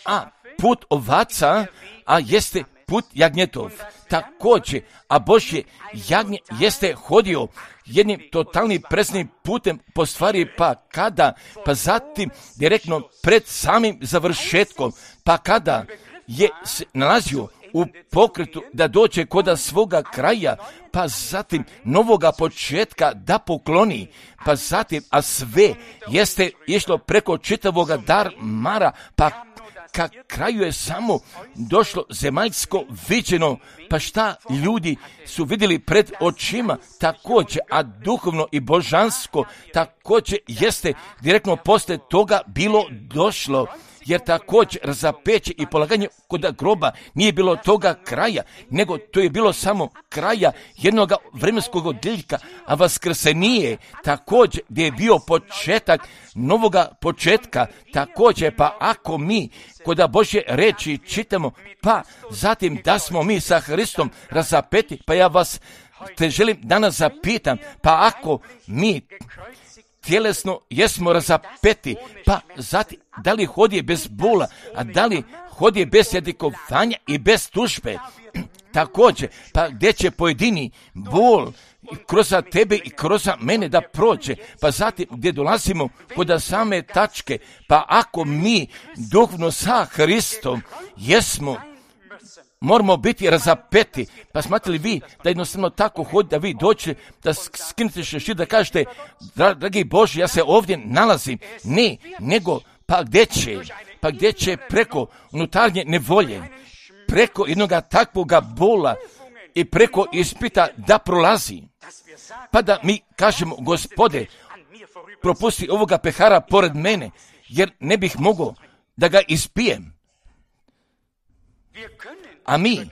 a put ovaca, a jeste put jagnjetov. Također, a Božje jagnje jeste hodio jednim totalnim preznim putem po stvari, pa kada, pa zatim direktno pred samim završetkom, pa kada je se nalazio u pokretu da dođe koda svoga kraja, pa zatim novoga početka da pokloni, pa zatim, a sve jeste išlo preko čitavoga darmara, pa ka kraju je samo došlo zemaljsko viđeno, pa šta ljudi su vidjeli pred očima također, a duhovno i božansko također jeste direktno poslije toga bilo došlo. Jer također razapeće i polaganje kod groba nije bilo toga kraja, nego to je bilo samo kraja jednog vremenskog odjeljka, a vaskrsenije također gdje je bio početak novoga početka, također pa ako mi kod Božje reči čitamo, pa zatim da smo mi sa Hristom razapeti, pa ja vas te želim danas zapitam, pa ako mi tjelesno jesmo razapeti, pa zatim da li hodije bez bola, a da li hodije bez jadikovanja i bez tužbe, također, pa gdje će pojedini bol kroz tebe i kroz mene da prođe, pa zatim gdje dolazimo kod same tačke, pa ako mi duhovno sa Hristom jesmo moramo biti razapeti. Pa smatrali vi da jednostavno tako hodi, da vi dođete, da skinete šešir, da kažete, dragi Bože, ja se ovdje nalazim. Ne, nego, pa gdje će? Pa gdje će preko unutarnje nevolje, preko jednoga takvoga bola i preko ispita da prolazi. Pa da mi kažemo, Gospode, propusti ovoga pehara pored mene, jer ne bih mogao da ga ispijem. A mi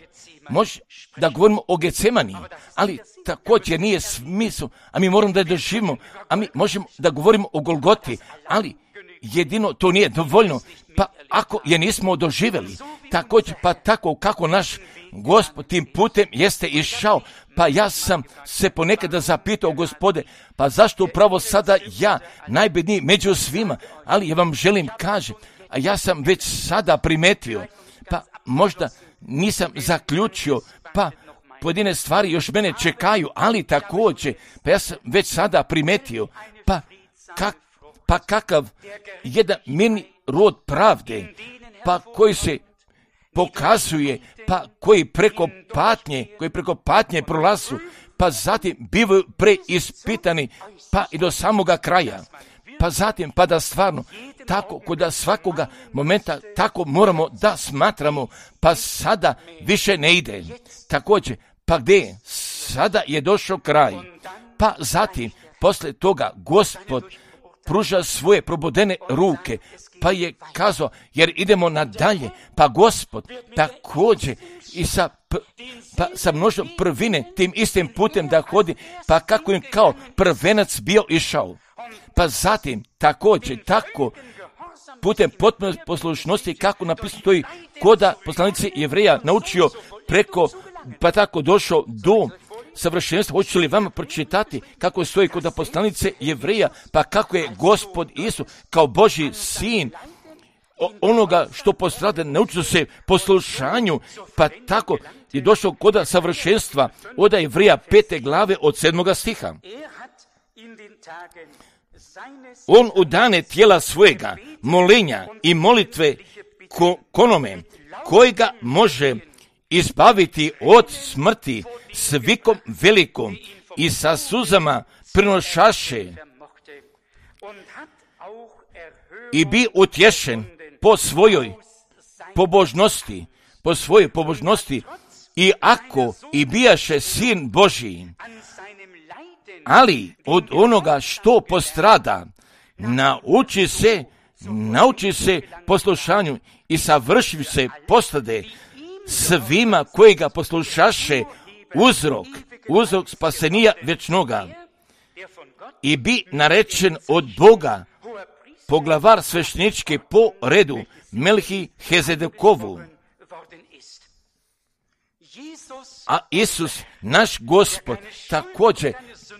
može da govorimo o Getsemani, ali također nije smisao, a mi moramo da je doživimo, a mi možemo da govorimo o Golgoti, ali jedino to nije dovoljno, pa ako je nismo doživjeli, također pa tako kako naš Gospod tim putem jeste išao, pa ja sam se ponekada zapitao, Gospode, pa zašto upravo sada ja, najbedniji među svima, ali ja vam želim kaže, a ja sam već sada primetio, pa možda nisam zaključio, pa pojedine stvari još mene čekaju, ali također, pa ja sam već sada primetio, pa, kak, pa kakav jedan mirni rod pravde, pa koji se pokazuje, pa koji preko patnje, koji preko patnje prolazu, pa zatim bivaju preispitani, pa i do samoga kraja. Pa zatim, pa da stvarno, tako kod svakoga momenta, tako moramo da smatramo, pa sada više ne ide. Također, pa gdje? Sada je došao kraj. Pa zatim, posle toga, Gospod pruža svoje probodene ruke, pa je kazao, jer idemo nadalje, pa Gospod također i sa, pa sa množom prvine tim istim putem da hodi, pa kako im kao prvenac bio išao. Pa zatim također tako putem potpune poslušnosti, kako napisano to i koda poslanici Jevreja naučio preko, pa tako došao do savršenstva. Hoću li vama pročitati kako stoji kod poslanice Jevreja, pa kako je Gospod Isus kao Božji sin onoga što postrada, naučio se poslušanju, pa tako je došao kod savršenstva od Jevreja pete glave od sedmoga stiha. On u dane tijela svojega molenja i molitve ko, konome kojega može izbaviti od smrti s vikom velikom i sa suzama prinošaše i bi utješen po svojoj pobožnosti, po svojoj pobožnosti i ako i bijaše sin Božji, ali od onoga što postrada, nauči se, nauči se poslušanju i savrši se postade svima koji ga poslušaše uzrok, uzrok spasenija vječnoga i bi narečen od Boga poglavar sveštenički po redu Melhi Hezedekovu. A Isus, naš Gospod, također,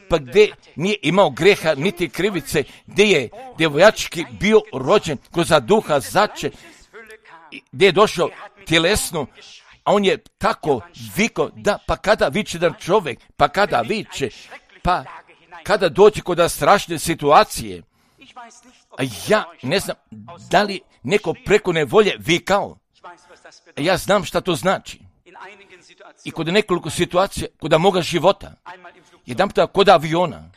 pa gdje nije imao greha niti krivice, gdje je djevojački bio rođen kroz duha zače, gdje je došao tjelesno, a on je tako vikao da pa kada viče jedan čovjek, pa kada viče, pa kada dođe kod strašne situacije, a ja ne znam da li neko preko nevolje vikao, a ja znam šta to znači. I kod nekoliko situacija, kod moga života, jedan puta kod aviona,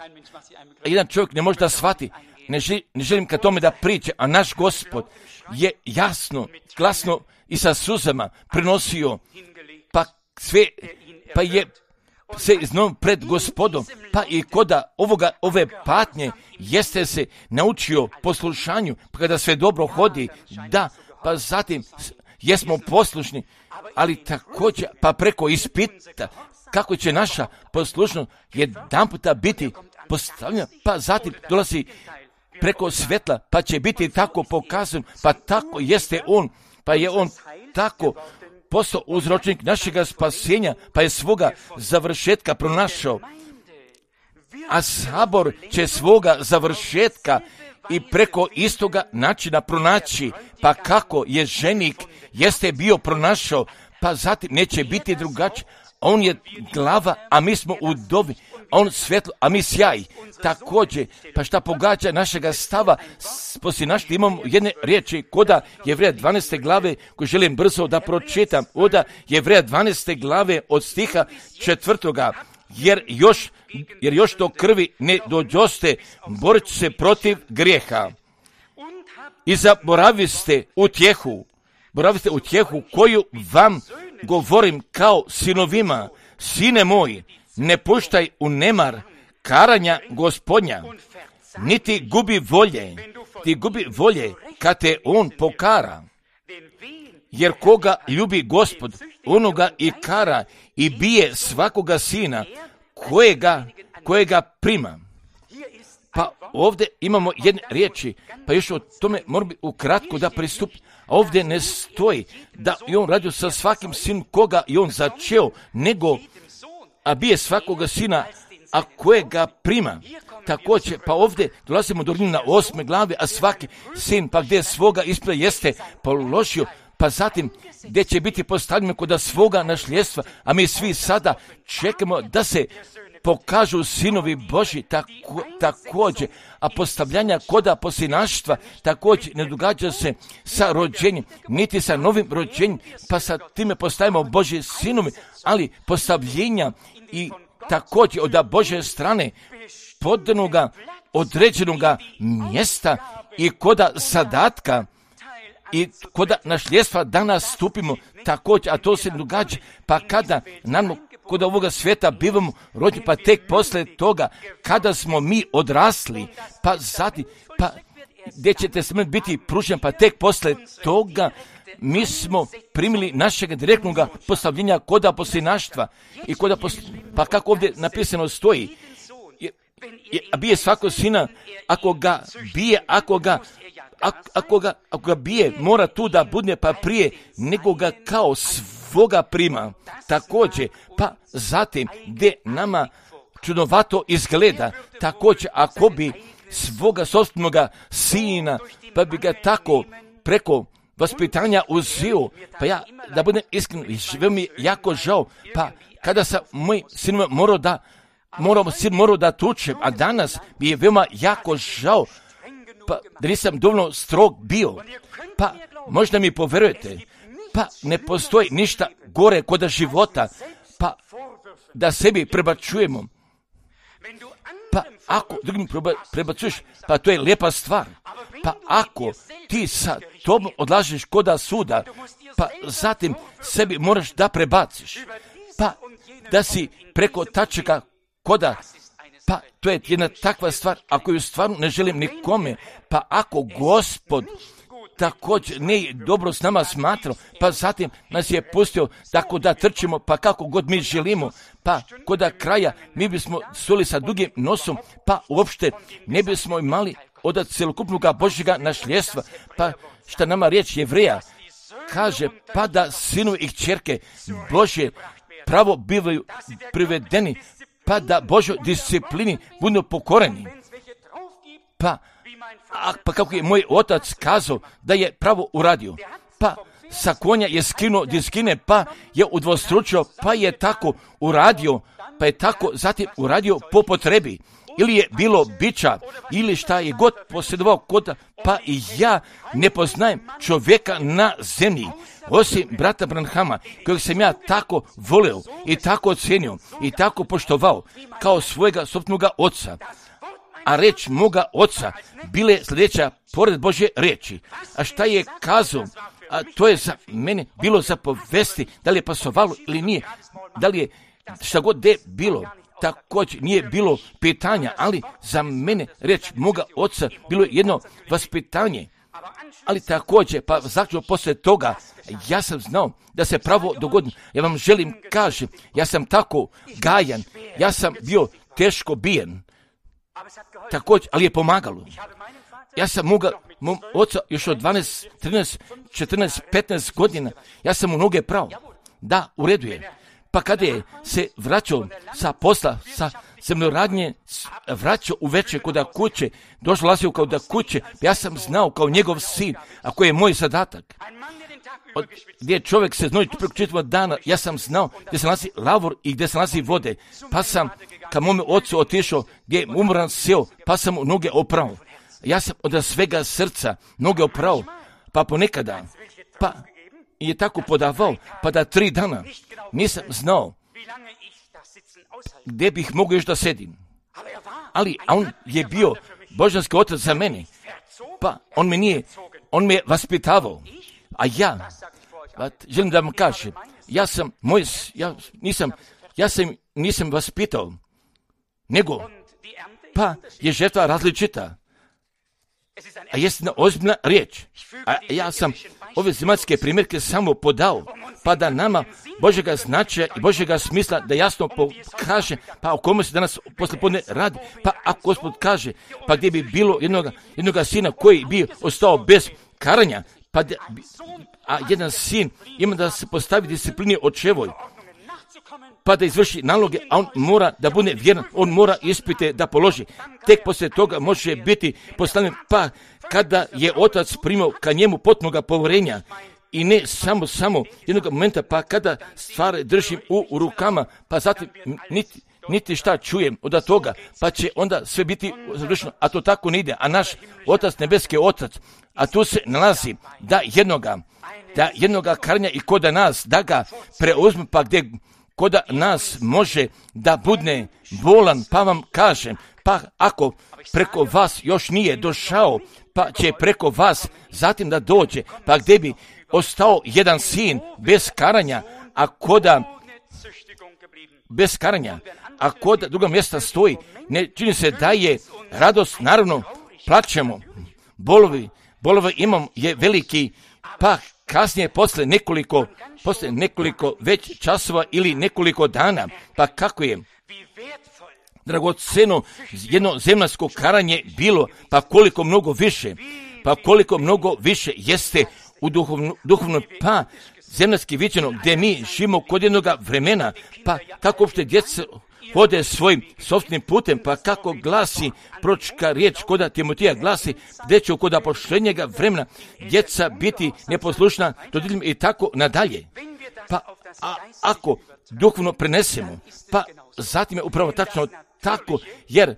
a jedan čovjek ne može da shvati, ne, žel, ne želim ka tome da priče, a naš Gospod je jasno, glasno i sa suzama prenosio, pa sve, pa je se iznom pred Gospodom, pa i koda ovoga, ove patnje jeste se naučio poslušanju, pa kada sve dobro hodi, da, pa zatim jesmo poslušni, ali također, pa preko ispita, kako će naša poslušnost jedan puta biti postavljena, pa zatim dolazi preko svetla, pa će biti tako pokazan, pa tako jeste on, pa je on tako postao uzročnik našega spasenja, pa je svoga završetka pronašao. A sabor će svoga završetka i preko istoga načina pronaći, pa kako je ženik jeste bio pronašao, pa zatim neće biti drugačije, On je glava, a mi smo u dobi. On svjetlo, a mi sjaj. Također, pa šta pogađa našega stava, poslije našta imamo jedne riječi, koda Jevreja dvanaeste glave, koju želim brzo da pročitam, oda Jevreja dvanaeste glave od stiha četvrtoga, jer još, jer još do krvi ne dođoste, borit se protiv grijeha. I zaboraviste utjehu, boraviste utjehu koju vam govorim kao sinovima, sine moj, ne puštaj u nemar karanja Gospodnja, niti gubi volje, ti gubi volje kad te on pokara. Jer koga ljubi Gospod, onoga i kara i bije svakoga sina kojega, kojega prima. Pa ovdje imamo jedne riječi, pa još o tome moram ukratko da pristup. Ovdje ne stoji da je on radio sa svakim sinom koga je on začeo, nego a bije svakoga sina, a kojega prima. Također, pa ovdje dolazimo do na osme glave, a svaki sin, pa gdje svoga ispred jeste položio, pa zatim gdje će biti postavljeno kod svoga nasljedstva, a mi svi sada čekamo da se pokažu sinovi Božji tako, također, a postavljanja koda posljednaštva također ne događa se sa rođenjem, niti sa novim rođenjem, pa sa time postavimo Božje sinovi, ali postavljenja i također od Božje strane podanoga određenoga mjesta i koda zadatka i koda nasljedstva danas stupimo također, a to se događa, pa kada nam kod ovoga svijeta bivamo rođeni, pa tek poslije toga, kada smo mi odrasli, pa zatim, pa gdje ćete smrt biti pružen, pa tek poslije toga mi smo primili našeg direktnog postavljenja koda posljednaštva i koda posl... pa kako ovdje napisano stoji, je, je, a bije svako sina, ako ga bije, ako ga Ako, ako, ga, ako ga bije, mora tu da budne pa prije, nego ga kao svoga prima. Također, pa zatim, gdje nama čudnovato izgleda, također, ako bi svoga sobstvenoga sina, pa bi ga tako preko vaspitanja uzio, pa ja, da budem iskren, živio mi jako žao, pa kada sam moj sin morao da, morao, sin morao da tučem, a danas mi je veoma jako žao, pa da nisam dovoljno strog bio, pa možda mi poverujete, pa ne postoji ništa gore kod života, pa da sebi prebacujemo, pa ako drugim prebacuješ, pa to je lijepa stvar, pa ako ti sa tobom odlažeš koda suda, pa zatim sebi moraš da prebaciš, pa da si preko tačaka koda, pa to je jedna takva stvar, ako ju stvarno ne želim nikome, pa ako Gospod također ne dobro s nama smatrao, pa zatim nas je pustio tako da trčimo, pa kako god mi želimo, pa koda kraja mi bismo suli sa dugim nosom, pa uopšte ne bismo imali od celokupnog Božjega nasljedstva, pa šta nama riječ Jevreja kaže, pa da sinovi i kćerke Božje pravo bivaju privedeni, pa da Božoj disciplini budu pokoreni. Pa, a, pa kako je moj otac kazao da je pravo uradio, pa sa konja je skinuo diskine, pa je udvostručio, pa je tako uradio, pa je tako zatim uradio po potrebi. Ili je bilo bića, ili šta je god posjedovao kod, pa i ja ne poznajem čovjeka na zemlji, osim brata Branhama, kojeg sam ja tako volio i tako ocenio i tako poštovao kao svojega sopstvenog oca. A reč moga oca bile sljedeća pored Božje reči. A šta je kazao? A to je za mene bilo za povesti, da li je pasovalo ili nije, da li je šta god de bilo. Također nije bilo pitanja, ali za mene reč moga oca bilo je jedno vaspitanje. Ali također, pa zaključno poslije toga, ja sam znao da se pravo dogodi. Ja vam želim kažem, ja sam tako gajan, ja sam bio teško bijen. Također, ali je pomagalo. Ja sam mogao, mom oca još od dvanaest, trinaest, četrnaest, petnaest godina, ja sam u noge pravo. Da, u redu je. Pa kada je se vraćao sa posla, sa zemljoradnje, vraćao uveče kod kuće, došao lazio kao da kuće, ja sam znao kao njegov sin, a koji je moj zadatak. od, gdje čovjek se znoji preko čitavog dana, ja sam znao gdje se nalazi lavor i gdje se nalazi vode, pa sam ka mome ocu otišao, gdje je umoran seo, pa sam mu noge oprao. Ja sam od svega srca noge oprao, pa ponekada, pa je tako podavao, pa da tri dana nisam znao gdje bih mogao još da sedim. Ali on je bio božanski otac za mene, pa on me nije, on me je vaspitavao, a ja, pa želim da vam kažem, ja sam, moj, ja nisam, ja sam nisam vaspitao, nego, pa je žetva različita, a jest na ozbiljna riječ, a ja sam ove zemaljske primjerke samo podao, pa da nama Božjega značaja i Božjega smisla da jasno pokaže, pa o kome se danas poslijepodne radi, pa ako Gospod kaže, pa gdje bi bilo jednoga, jednoga sina koji bi ostao bez karanja, pa da, a jedan sin ima da se postavi disciplini očevoj, pa da izvrši naloge, a on mora da bude vjeran, on mora ispite da položi. Tek poslije toga može biti postavljen, pa kada je otac primao ka njemu potpunoga povjerenja, i ne samo, samo jednog momenta, pa kada stvari držim u, u rukama, pa zatim niti, niti šta čujem od toga, pa će onda sve biti završeno, a to tako ne ide. A naš otac, nebeski otac, a tu se nalazi da jednoga, da jednoga karanja i koda nas, da ga preuzme, pa gdje koda nas može da budne bolan, pa vam kažem, pa ako preko vas još nije došao, pa će preko vas zatim da dođe, pa gdje bi ostao jedan sin bez karanja, a koda bez karanja, a koda druga mjesta stoji, ne čini se da je radost, naravno plačemo, bolovi, bolovi imam je veliki, pa kasnije posle nekoliko, posle nekoliko već časova ili nekoliko dana, pa kako je dragoceno jedno zemaljsko karanje bilo, pa koliko mnogo više, pa koliko mnogo više jeste u duhovno, duhovno pa zemaljski viđeno, gdje mi živimo kod jednog vremena, pa kako uopšte djeca hode svojim sopstvenim putem, pa kako glasi pročka riječ koda Timotija glasi, gdje će kod poštenjega vremena djeca biti neposlušna roditeljima i tako nadalje. Pa a, ako duhovno prenesemo, pa zatim je upravo tačno tako, jer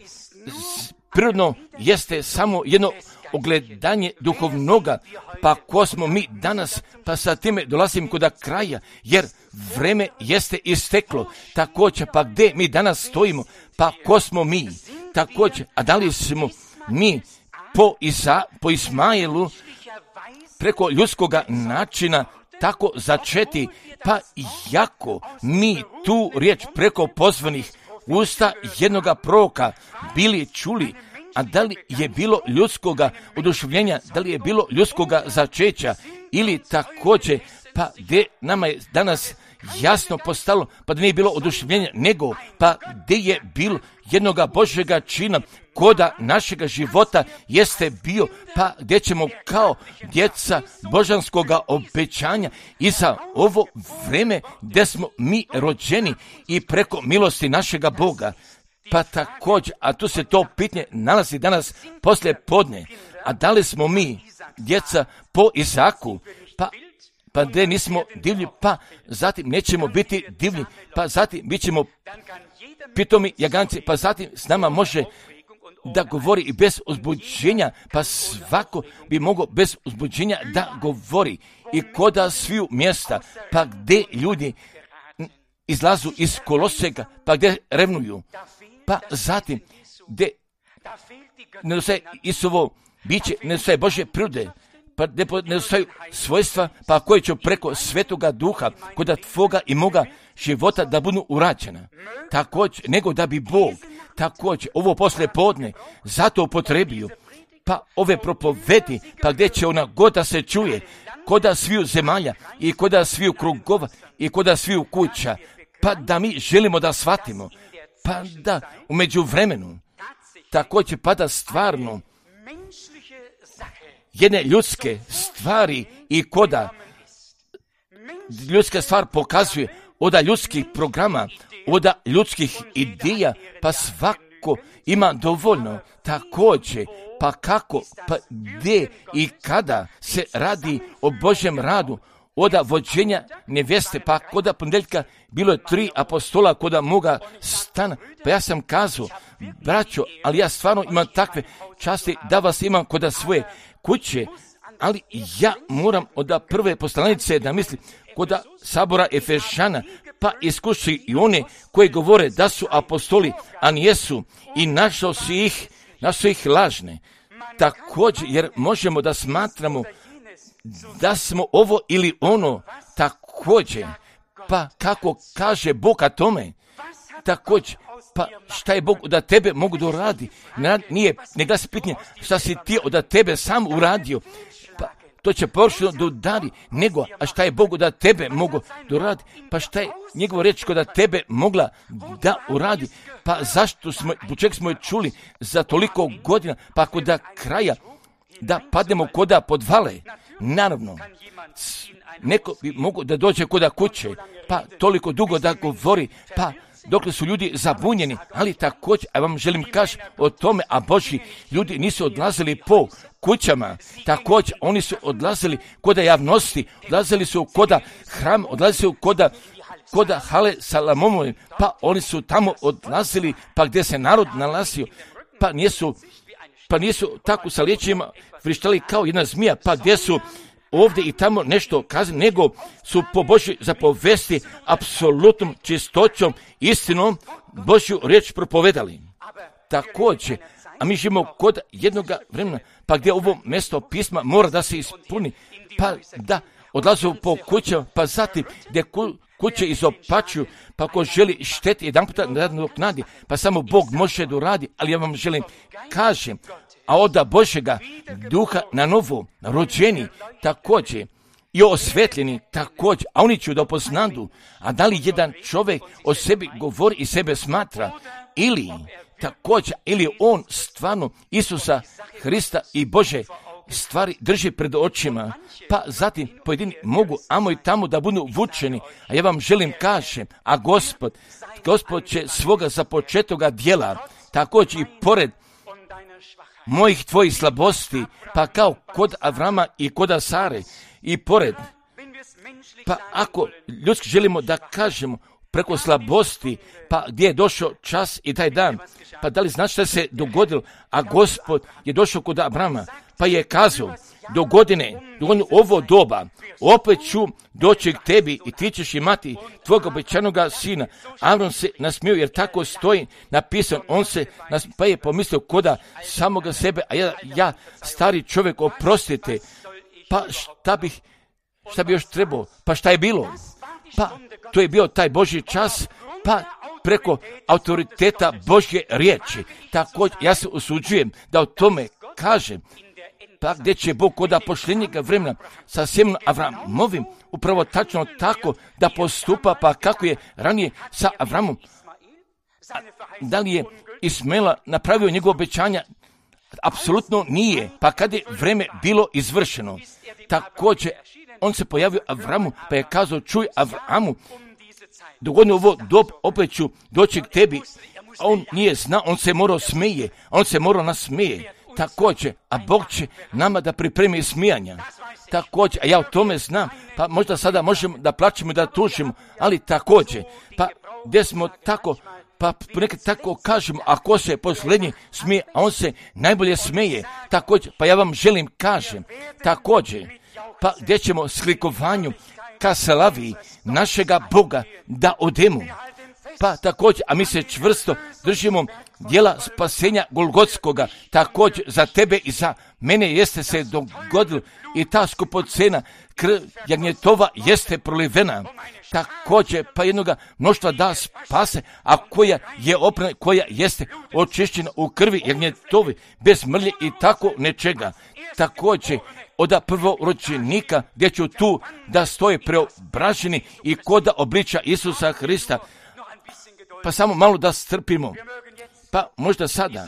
prirodno jeste samo jedno ogledanje duhovnoga, pa ko smo mi danas, pa sa time dolazim kod kraja, jer vreme jeste isteklo, također, pa gdje mi danas stojimo, pa ko smo mi, također, a da li smo mi po, Isa, po Ismailu preko ljudskoga načina tako začeti, pa jako mi tu riječ preko pozvanih usta jednoga proroka bili čuli, a da li je bilo ljudskoga oduševljenja, da li je bilo ljudskoga začeća, ili također, pa gdje nama je danas jasno postalo, pa da nije bilo oduševljenja, nego pa gdje je bilo jednoga Božjega čina, koda našega života jeste bio, pa gdje ćemo kao djeca božanskoga obećanja i za ovo vreme gdje smo mi rođeni i preko milosti našega Boga. Pa također, a tu se to pitanje nalazi danas poslije podne, a da li smo mi djeca po Izaku, pa pa gdje nismo divlji, pa zatim nećemo biti divlji, pa zatim bit ćemo pitomi jaganci, pa zatim s nama može da govori i bez uzbuđenja, pa svako bi mogao bez uzbuđenja da govori i koda sviju mjesta, pa gdje ljudi izlazu iz koloseka, pa gdje revnuju, pa zatim gdje nedostaje Isuvo biće, nedostaje Božje prirode, pa nedostaju svojstva, pa koje će preko Svetoga Duha kod tvoga i moga života da budu urađena. Također, nego da bi Bog također ovo posle podne zato upotrebio, pa ove propovedi, pa gdje će ona god da se čuje, koda sviju zemalja i koda sviju krugova i koda sviju kuća, pa da mi želimo da shvatimo, pa da u međuvremenu također pa da stvarno jedne ljudske stvari i koda ljudska stvar pokazuje oda ljudskih programa, oda ljudskih ideja, pa svako ima dovoljno također, pa kako, pa gdje i kada se radi o Božjem radu, oda vođenja nevjeste, pa koda ponedjeljka bilo je tri apostola koda moga stana, pa ja sam kazao, braćo, ali ja stvarno imam takve časti da vas imam koda svoje kuće, ali ja moram od prve poslanice da mislim koda sabora Efešana, pa iskuši i one koji govore da su apostoli, a nijesu, i našao si ih, našao ih lažne. Također, jer možemo da smatramo da smo ovo ili ono, također, pa kako kaže Bog o tome, također, pa šta je Bog da tebe mogu da uradi, nije, ne glasi pitanje šta si ti od tebe sam uradio, pa to će površno da udari, nego, a šta je Bog da tebe mogu da uradi, pa šta je njegova riječ da tebe mogla da uradi, pa zašto smo, po čeg smo je čuli za toliko godina, pa kod da kraja, da padnemo koda podvale, naravno, neko bi mogo da dođe koda kuće, pa toliko dugo da govori, pa dokle su ljudi zabunjeni, ali također, a vam želim kaži o tome, a Božji ljudi nisu odlazili po kućama, također, oni su odlazili koda javnosti, odlazili su koda hram, odlazili su koda koda hale Salamomovi, pa oni su tamo odlazili, pa gdje se narod nalazio, pa nisu, pa nisu tako sa liječima vrištali kao jedna zmija, pa gdje su ovdje i tamo nešto kazali, nego su po Božjoj zapovesti apsolutnom čistoćom, istinom Božju riječ propovedali. Također, a mi živimo kod jednoga vremena, pa gdje ovo mjesto pisma mora da se ispuni, pa da odlazu po kućama, pa zatim gdje ku, kuće izopačuju, pa ako želi šteti jedan puta nadoknadi, pa samo Bog može da uradi, ali ja vam želim kažem, a oda Božjega duha na novo rođeni također i osvetljeni također, a oni će da poznadu, a da li jedan čovjek o sebi govori i sebe smatra, ili također, ili on stvarno Isusa Hrista i Bože stvari drži pred očima, pa zatim pojedini mogu amo i tamo da budu vučeni, a ja vam želim kažem, a Gospod, Gospod će svoga započetoga djela, također i pored mojih tvojih slabosti, pa kao kod Avrama i kod Sare, i pored, pa ako ljudski želimo da kažemo preko slabosti, pa gdje je došao čas i taj dan, pa da li znaš šta se dogodilo, a Gospod je došao kod Abrama, pa je kazao, do godine, do godine ovo doba, opet ću doći k tebi i ti ćeš imati tvojeg obećanoga sina. Avram se nasmio jer tako stoji napisan, on se nasmio, pa je pomislio koda samoga sebe, a ja, ja stari čovjek, oprostite, pa šta bih, šta bi još trebao, pa šta je bilo? Pa to je bio taj Božji čas, pa preko autoriteta Božje riječi. Također ja se usuđujem da o tome kažem, pa gdje će Bog koda pošljenjega vremena sa sjemenom Avramovim upravo tačno tako da postupa, pa kako je ranije sa Avramom. Da li je Ismaila napravio njegove obećanja? Apsolutno nije, pa kad je vreme bilo izvršeno, također on se pojavio Avramu, pa je kazao, čuj Avramu, dogodno ovo dob, opet ću doći k tebi. A on nije znao, on se morao smije, on se morao nasmije. Također, a Bog će nama da pripremi smijanja. Također, a ja o tome znam, pa možda sada možemo da plaćemo i da tužimo, ali također, pa gdje smo tako, pa nekad tako kažemo, ako se posljednji smije, a on se najbolje smije, također, pa ja vam želim kažem, također, pa gdje ćemo slikovanju ka slavi našega Boga da odemo. Pa također, a mi se čvrsto držimo djela spasenja Golgotskoga, također za tebe i za mene jeste se dogodilo i ta skupocena krv jagnjetova jeste prolivena. Također, pa jednoga mnoštva da spase, a koja je oprana, koja jeste očišćena u krvi jagnjetovi, bez mrlje i tako nečega. Također, od prvorođenika gdje ću tu da stoje preobraženi i koda obliča Isusa Hrista. Pa samo malo da strpimo, pa možda sada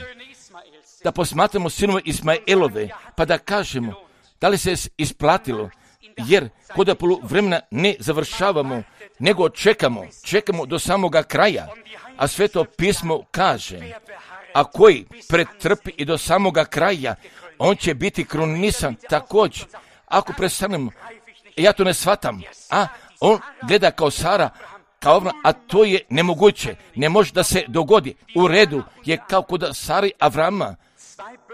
da posmatramo sinove Ismaelove, pa da kažemo da li se isplatilo, jer kod polu vremena ne završavamo, nego čekamo, čekamo do samoga kraja, a Sveto pismo kaže, a koji pretrpi i do samoga kraja, on će biti krunisan također. Ako prestanemo ja to ne shvatam. A on gleda kao Sara, kao Avram, a to je nemoguće. Ne može da se dogodi. U redu je kao kod Sari Avrama.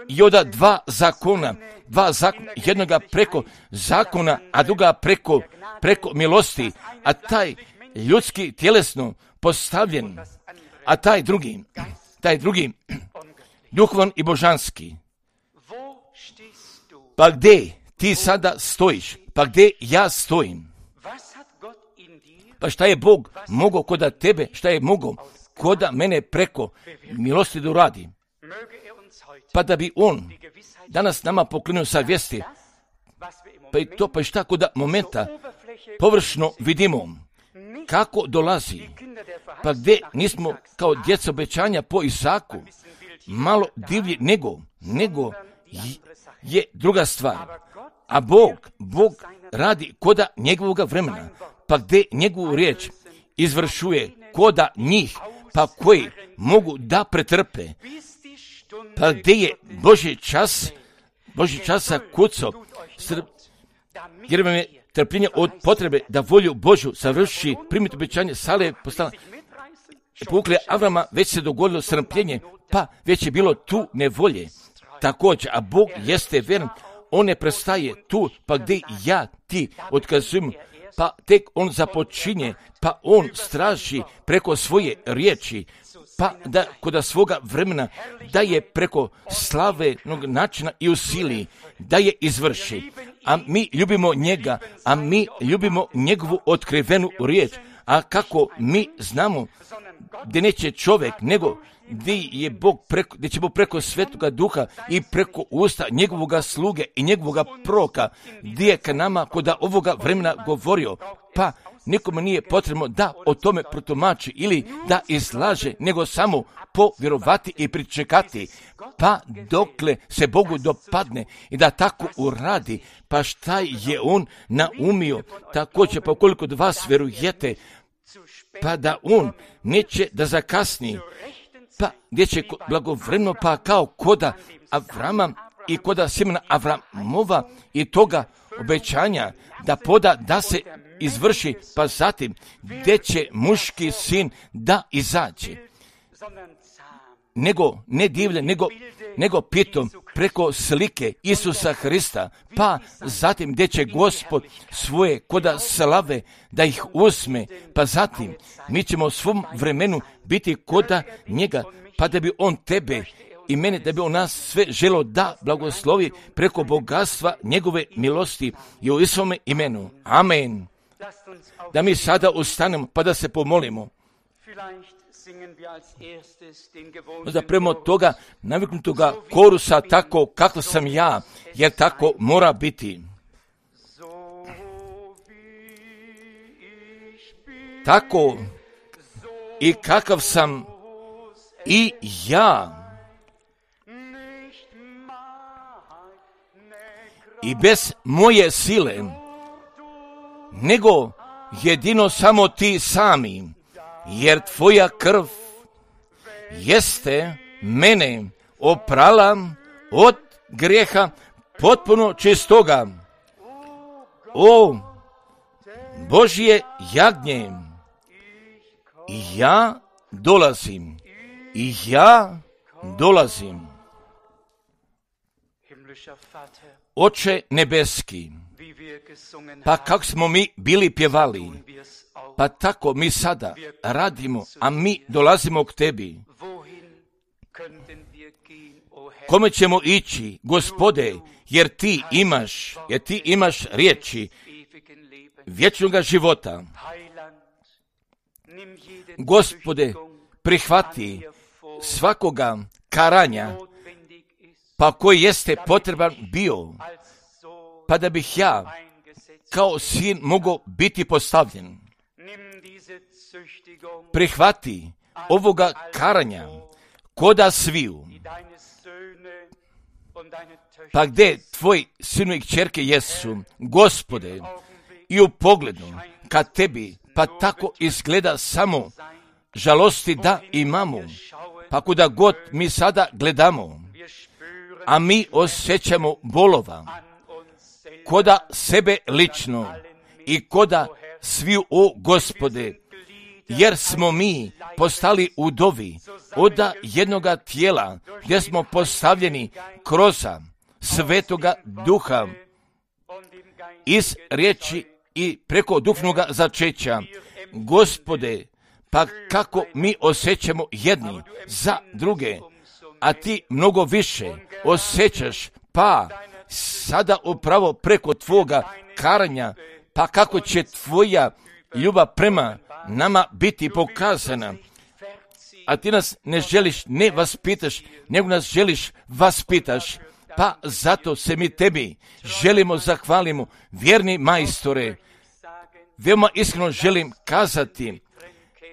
I onda dva zakona, dva zakona, jednoga preko zakona, a druga preko, preko milosti, a taj ljudski tjelesno postavljen, a taj drugi, taj drugi, duhovan i božanski. Pa gdje ti sada stojiš? Pa gdje ja stojim? Pa šta je Bog mogao koda tebe, šta je mogao koda mene preko milosti da uradi? Pa da bi on danas nama pokrenuo sa vijesti, pa i to, pa i šta koda momenta površno vidimo kako dolazi, pa gdje nismo kao djeca obećanja po Isaku malo divlji nego, nego je druga stvar. A Bog, Bog radi koda njegovoga vremena, pa gdje njegovu riječ izvršuje koda njih, pa koji mogu da pretrpe, pa gdje je Božji čas, Božji časa kucao, jer vam je trpljenje od potrebe da volju Božju savrši, primiti obećanje, Sale je postala, povukle Avrama, već se dogodilo strpljenje, pa već je bilo tu nevolje. Također, a Bog jeste vjeran, on ne prestaje tu, pa gdje ja ti otkazujem, pa tek on započinje, pa on straži preko svoje riječi, pa da kod svoga vremena da je preko slavenog načina i u sili, da je izvrši. A mi ljubimo njega, a mi ljubimo njegovu otkrivenu riječ. A kako mi znamo gdje neće čovjek, nego gdje je Bog preko, gdje će Bog preko Svetoga Duha i preko usta njegovoga sluge i njegovoga proroka, gdje je ka nama kod ovoga vremena govorio, pa nikome nije potrebno da o tome protumači ili da izlaže, nego samo povjerovati i pričekati, pa dokle se Bogu dopadne i da tako uradi, pa šta je on naumio, također pa koliko od vas vjerujete, pa da on neće da zakasni, pa gdje će blagovremeno, pa kao koda Avrama i koda sjemena Avramova i toga obećanja da poda da se izvrši, pa zatim gdje će muški sin da izađe. Nego, ne divlje, nego, nego pitom preko slike Isusa Hrista, pa zatim gdje će Gospod svoje koda slave da ih uzme, pa zatim mi ćemo u svom vremenu biti koda njega, pa da bi on tebe i mene, da bi on nas sve želo da blagoslovi preko bogatstva njegove milosti i u Isovome imenu. Amen. Da mi sada ustanemo pa da se pomolimo. Možda prema toga naviknutoga korusa tako kako sam ja, jer tako mora biti. Tako i kakav sam i ja. I bez moje sile, nego jedino samo ti sami, jer tvoja krv jeste mene oprala od grijeha potpuno čistoga. O Božje jagnje, i ja dolazim, i ja dolazim. Oče nebeski, pa kako smo mi bili pjevali, pa tako mi sada radimo, a mi dolazimo k tebi. Kome ćemo ići, Gospode, jer ti imaš, jer ti imaš riječi vječnoga života. Gospode, prihvati svakoga karanja, pa koji jeste potreban bio, pa da bih ja kao sin mogao biti postavljen. Prihvati ovoga karanja koda sviju, pa gdje tvoji sinu i kćerke jesu, Gospode, i u pogledu ka tebi, pa tako izgleda samo žalosti da imamo, pa kuda god mi sada gledamo, a mi osjećamo bolova, koda sebe lično, i koda sviju, o Gospode, jer smo mi postali udovi od jednoga tijela, gdje smo postavljeni kroz Svetoga Duha iz riječi i preko duhovnoga začeća. Gospode, pa kako mi osjećamo jedni za druge, a ti mnogo više osjećaš, pa sada upravo preko tvoga karanja, pa kako će tvoja ljubav prema nama biti pokazana. A ti nas ne želiš, ne vaspitaš, nego nas želiš vaspitaš. Pa zato se mi tebi želimo zahvalimo, vjerni majstore. Veoma iskreno želim kazati,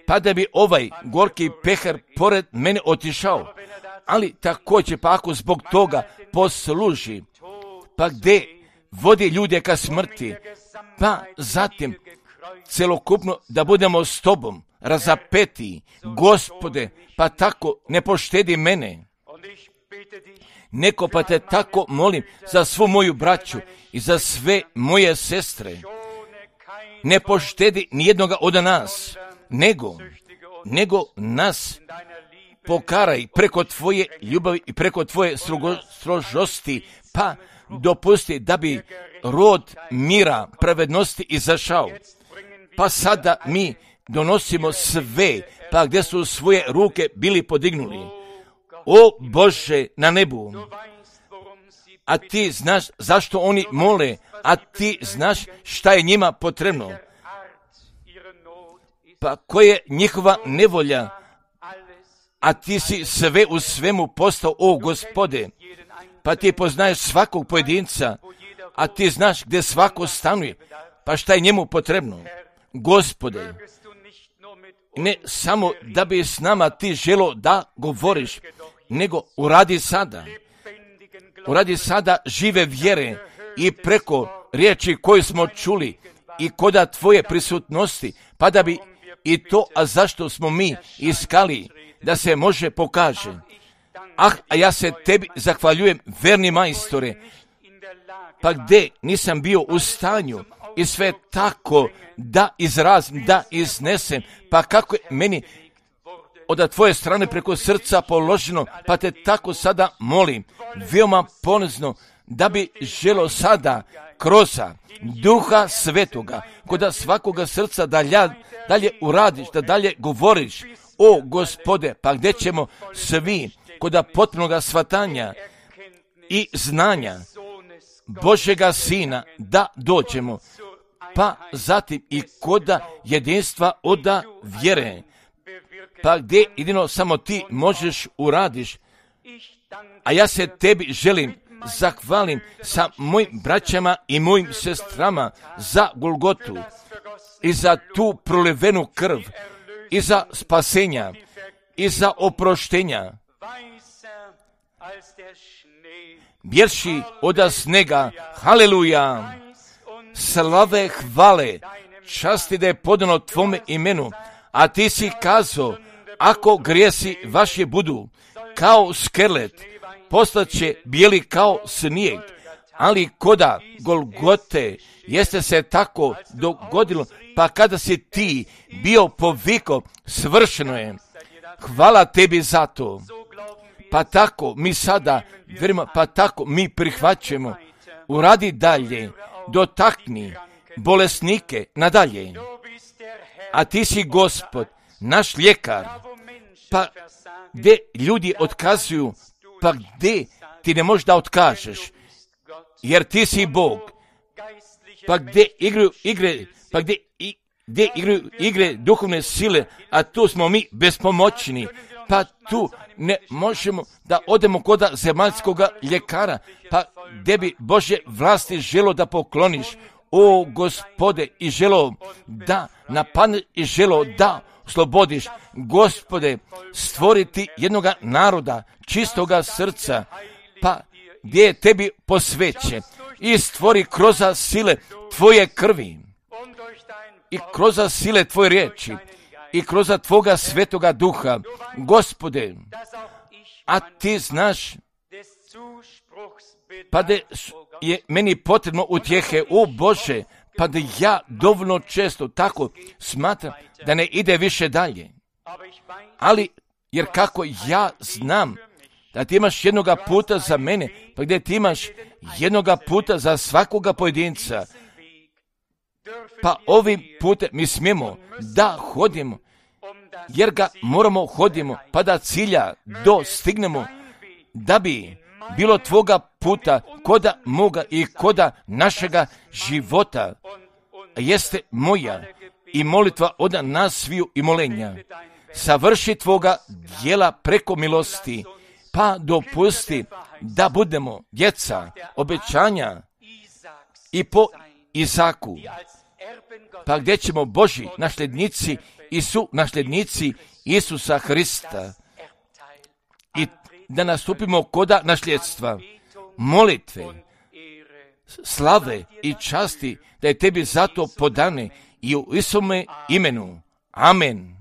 pa da bi ovaj gorki pehar pored mene otišao, ali također pa ako zbog toga posluži, pa gdje vodi ljude ka smrti, pa zatim celokupno da budemo s tobom razapeti, Gospode, pa tako ne poštedi mene. Neko pa te tako molim za svu moju braću i za sve moje sestre. Ne poštedi nijednoga od nas, nego, nego nas pokaraj preko tvoje ljubavi i preko tvoje strogo, strožosti, pa dopusti da bi rod mira, pravednosti izašao. Pa sada mi donosimo sve, pa gdje su svoje ruke bili podignuli. O Bože na nebu, a ti znaš zašto oni mole, a ti znaš šta je njima potrebno. Pa koja je njihova nevolja, a ti si sve u svemu postao, o Gospode. Pa ti poznaješ svakog pojedinca, a ti znaš gdje svako stanuje, pa šta je njemu potrebno. Gospode, ne samo da bi s nama ti želo da govoriš, nego uradi sada. Uradi sada žive vjere i preko riječi koju smo čuli i koda tvoje prisutnosti, pa da bi i to, a zašto smo mi iskali, da se može pokaže. Ah, a ja se tebi zahvaljujem, verni majstore, pa gdje nisam bio u stanju i sve tako da izrazim, da iznesem, pa kako je meni od tvoje strane preko srca položeno, pa te tako sada molim, veoma ponizno, da bi želo sada kroz Duha Svetoga, koda svakoga srca dalje, dalje uradiš, da dalje govoriš, o Gospode, pa gdje ćemo svi koda potpunoga shvatanja i znanja Božega Sina da dođemo, pa zatim i koda jedinstva oda vjere, pa gdje jedino samo ti možeš uradiš, a ja se tebi želim zahvalim sa mojim braćama i mojim sestrama za Golgotu i za tu prolivenu krv i za spasenja i za oproštenja. Bjerši oda snega, haleluja, slave, hvale, časti da je podano tvome imenu, a ti si kazao, ako grijesi vaši budu kao skelet, postaće bijeli kao snijeg, ali koda Golgote jeste se tako dogodilo, pa kada si ti bio poviko, svršeno je. Hvala tebi za to. Pa tako mi sada, vjerujemo, pa tako mi prihvaćamo. Uradi dalje, dotakni bolesnike nadalje. A ti si Gospod, naš ljekar. Pa gdje ljudi otkazuju, pa gdje ti ne možeš da otkažeš, jer ti si Bog. Pa gdje igraju igre, pa gdje, i, gdje igraju igre duhovne sile, a tu smo mi bespomoćni, pa tu ne možemo da odemo koda zemaljskoga ljekara, pa gdje bi Božje vlasti želo da pokloniš, o Gospode, i želo da napadneš i želo da slobodiš, Gospode, stvoriti jednoga naroda, čistoga srca, pa gdje je tebi posvećen, i stvori kroz sile tvoje krvi, i kroz sile tvoje riječi, i kroz tvoga svetoga duha, Gospode, a ti znaš, pa da je meni potrebno utjehe, o Bože, pa da ja dovoljno često tako smatram da ne ide više dalje. Ali, jer kako ja znam da ti imaš jednoga puta za mene, pa gdje ti imaš jednoga puta za svakoga pojedinca, pa ovim putem mi smijemo da hodimo, jer ga moramo hodimo, pa da cilja dostignemo, da bi bilo tvoga puta koda moga i koda našega života, jeste moja i molitva od nas sviju i molenja. Savrši tvoga djela preko milosti, pa dopusti da budemo djeca obećanja i po Izaku, pa gdje ćemo Božji nasljednici i su nasljednici Isusa Hrista i da nastupimo koda nasljedstva, molitve, slave i časti da je tebi zato podane i u Isome imenu. Amen.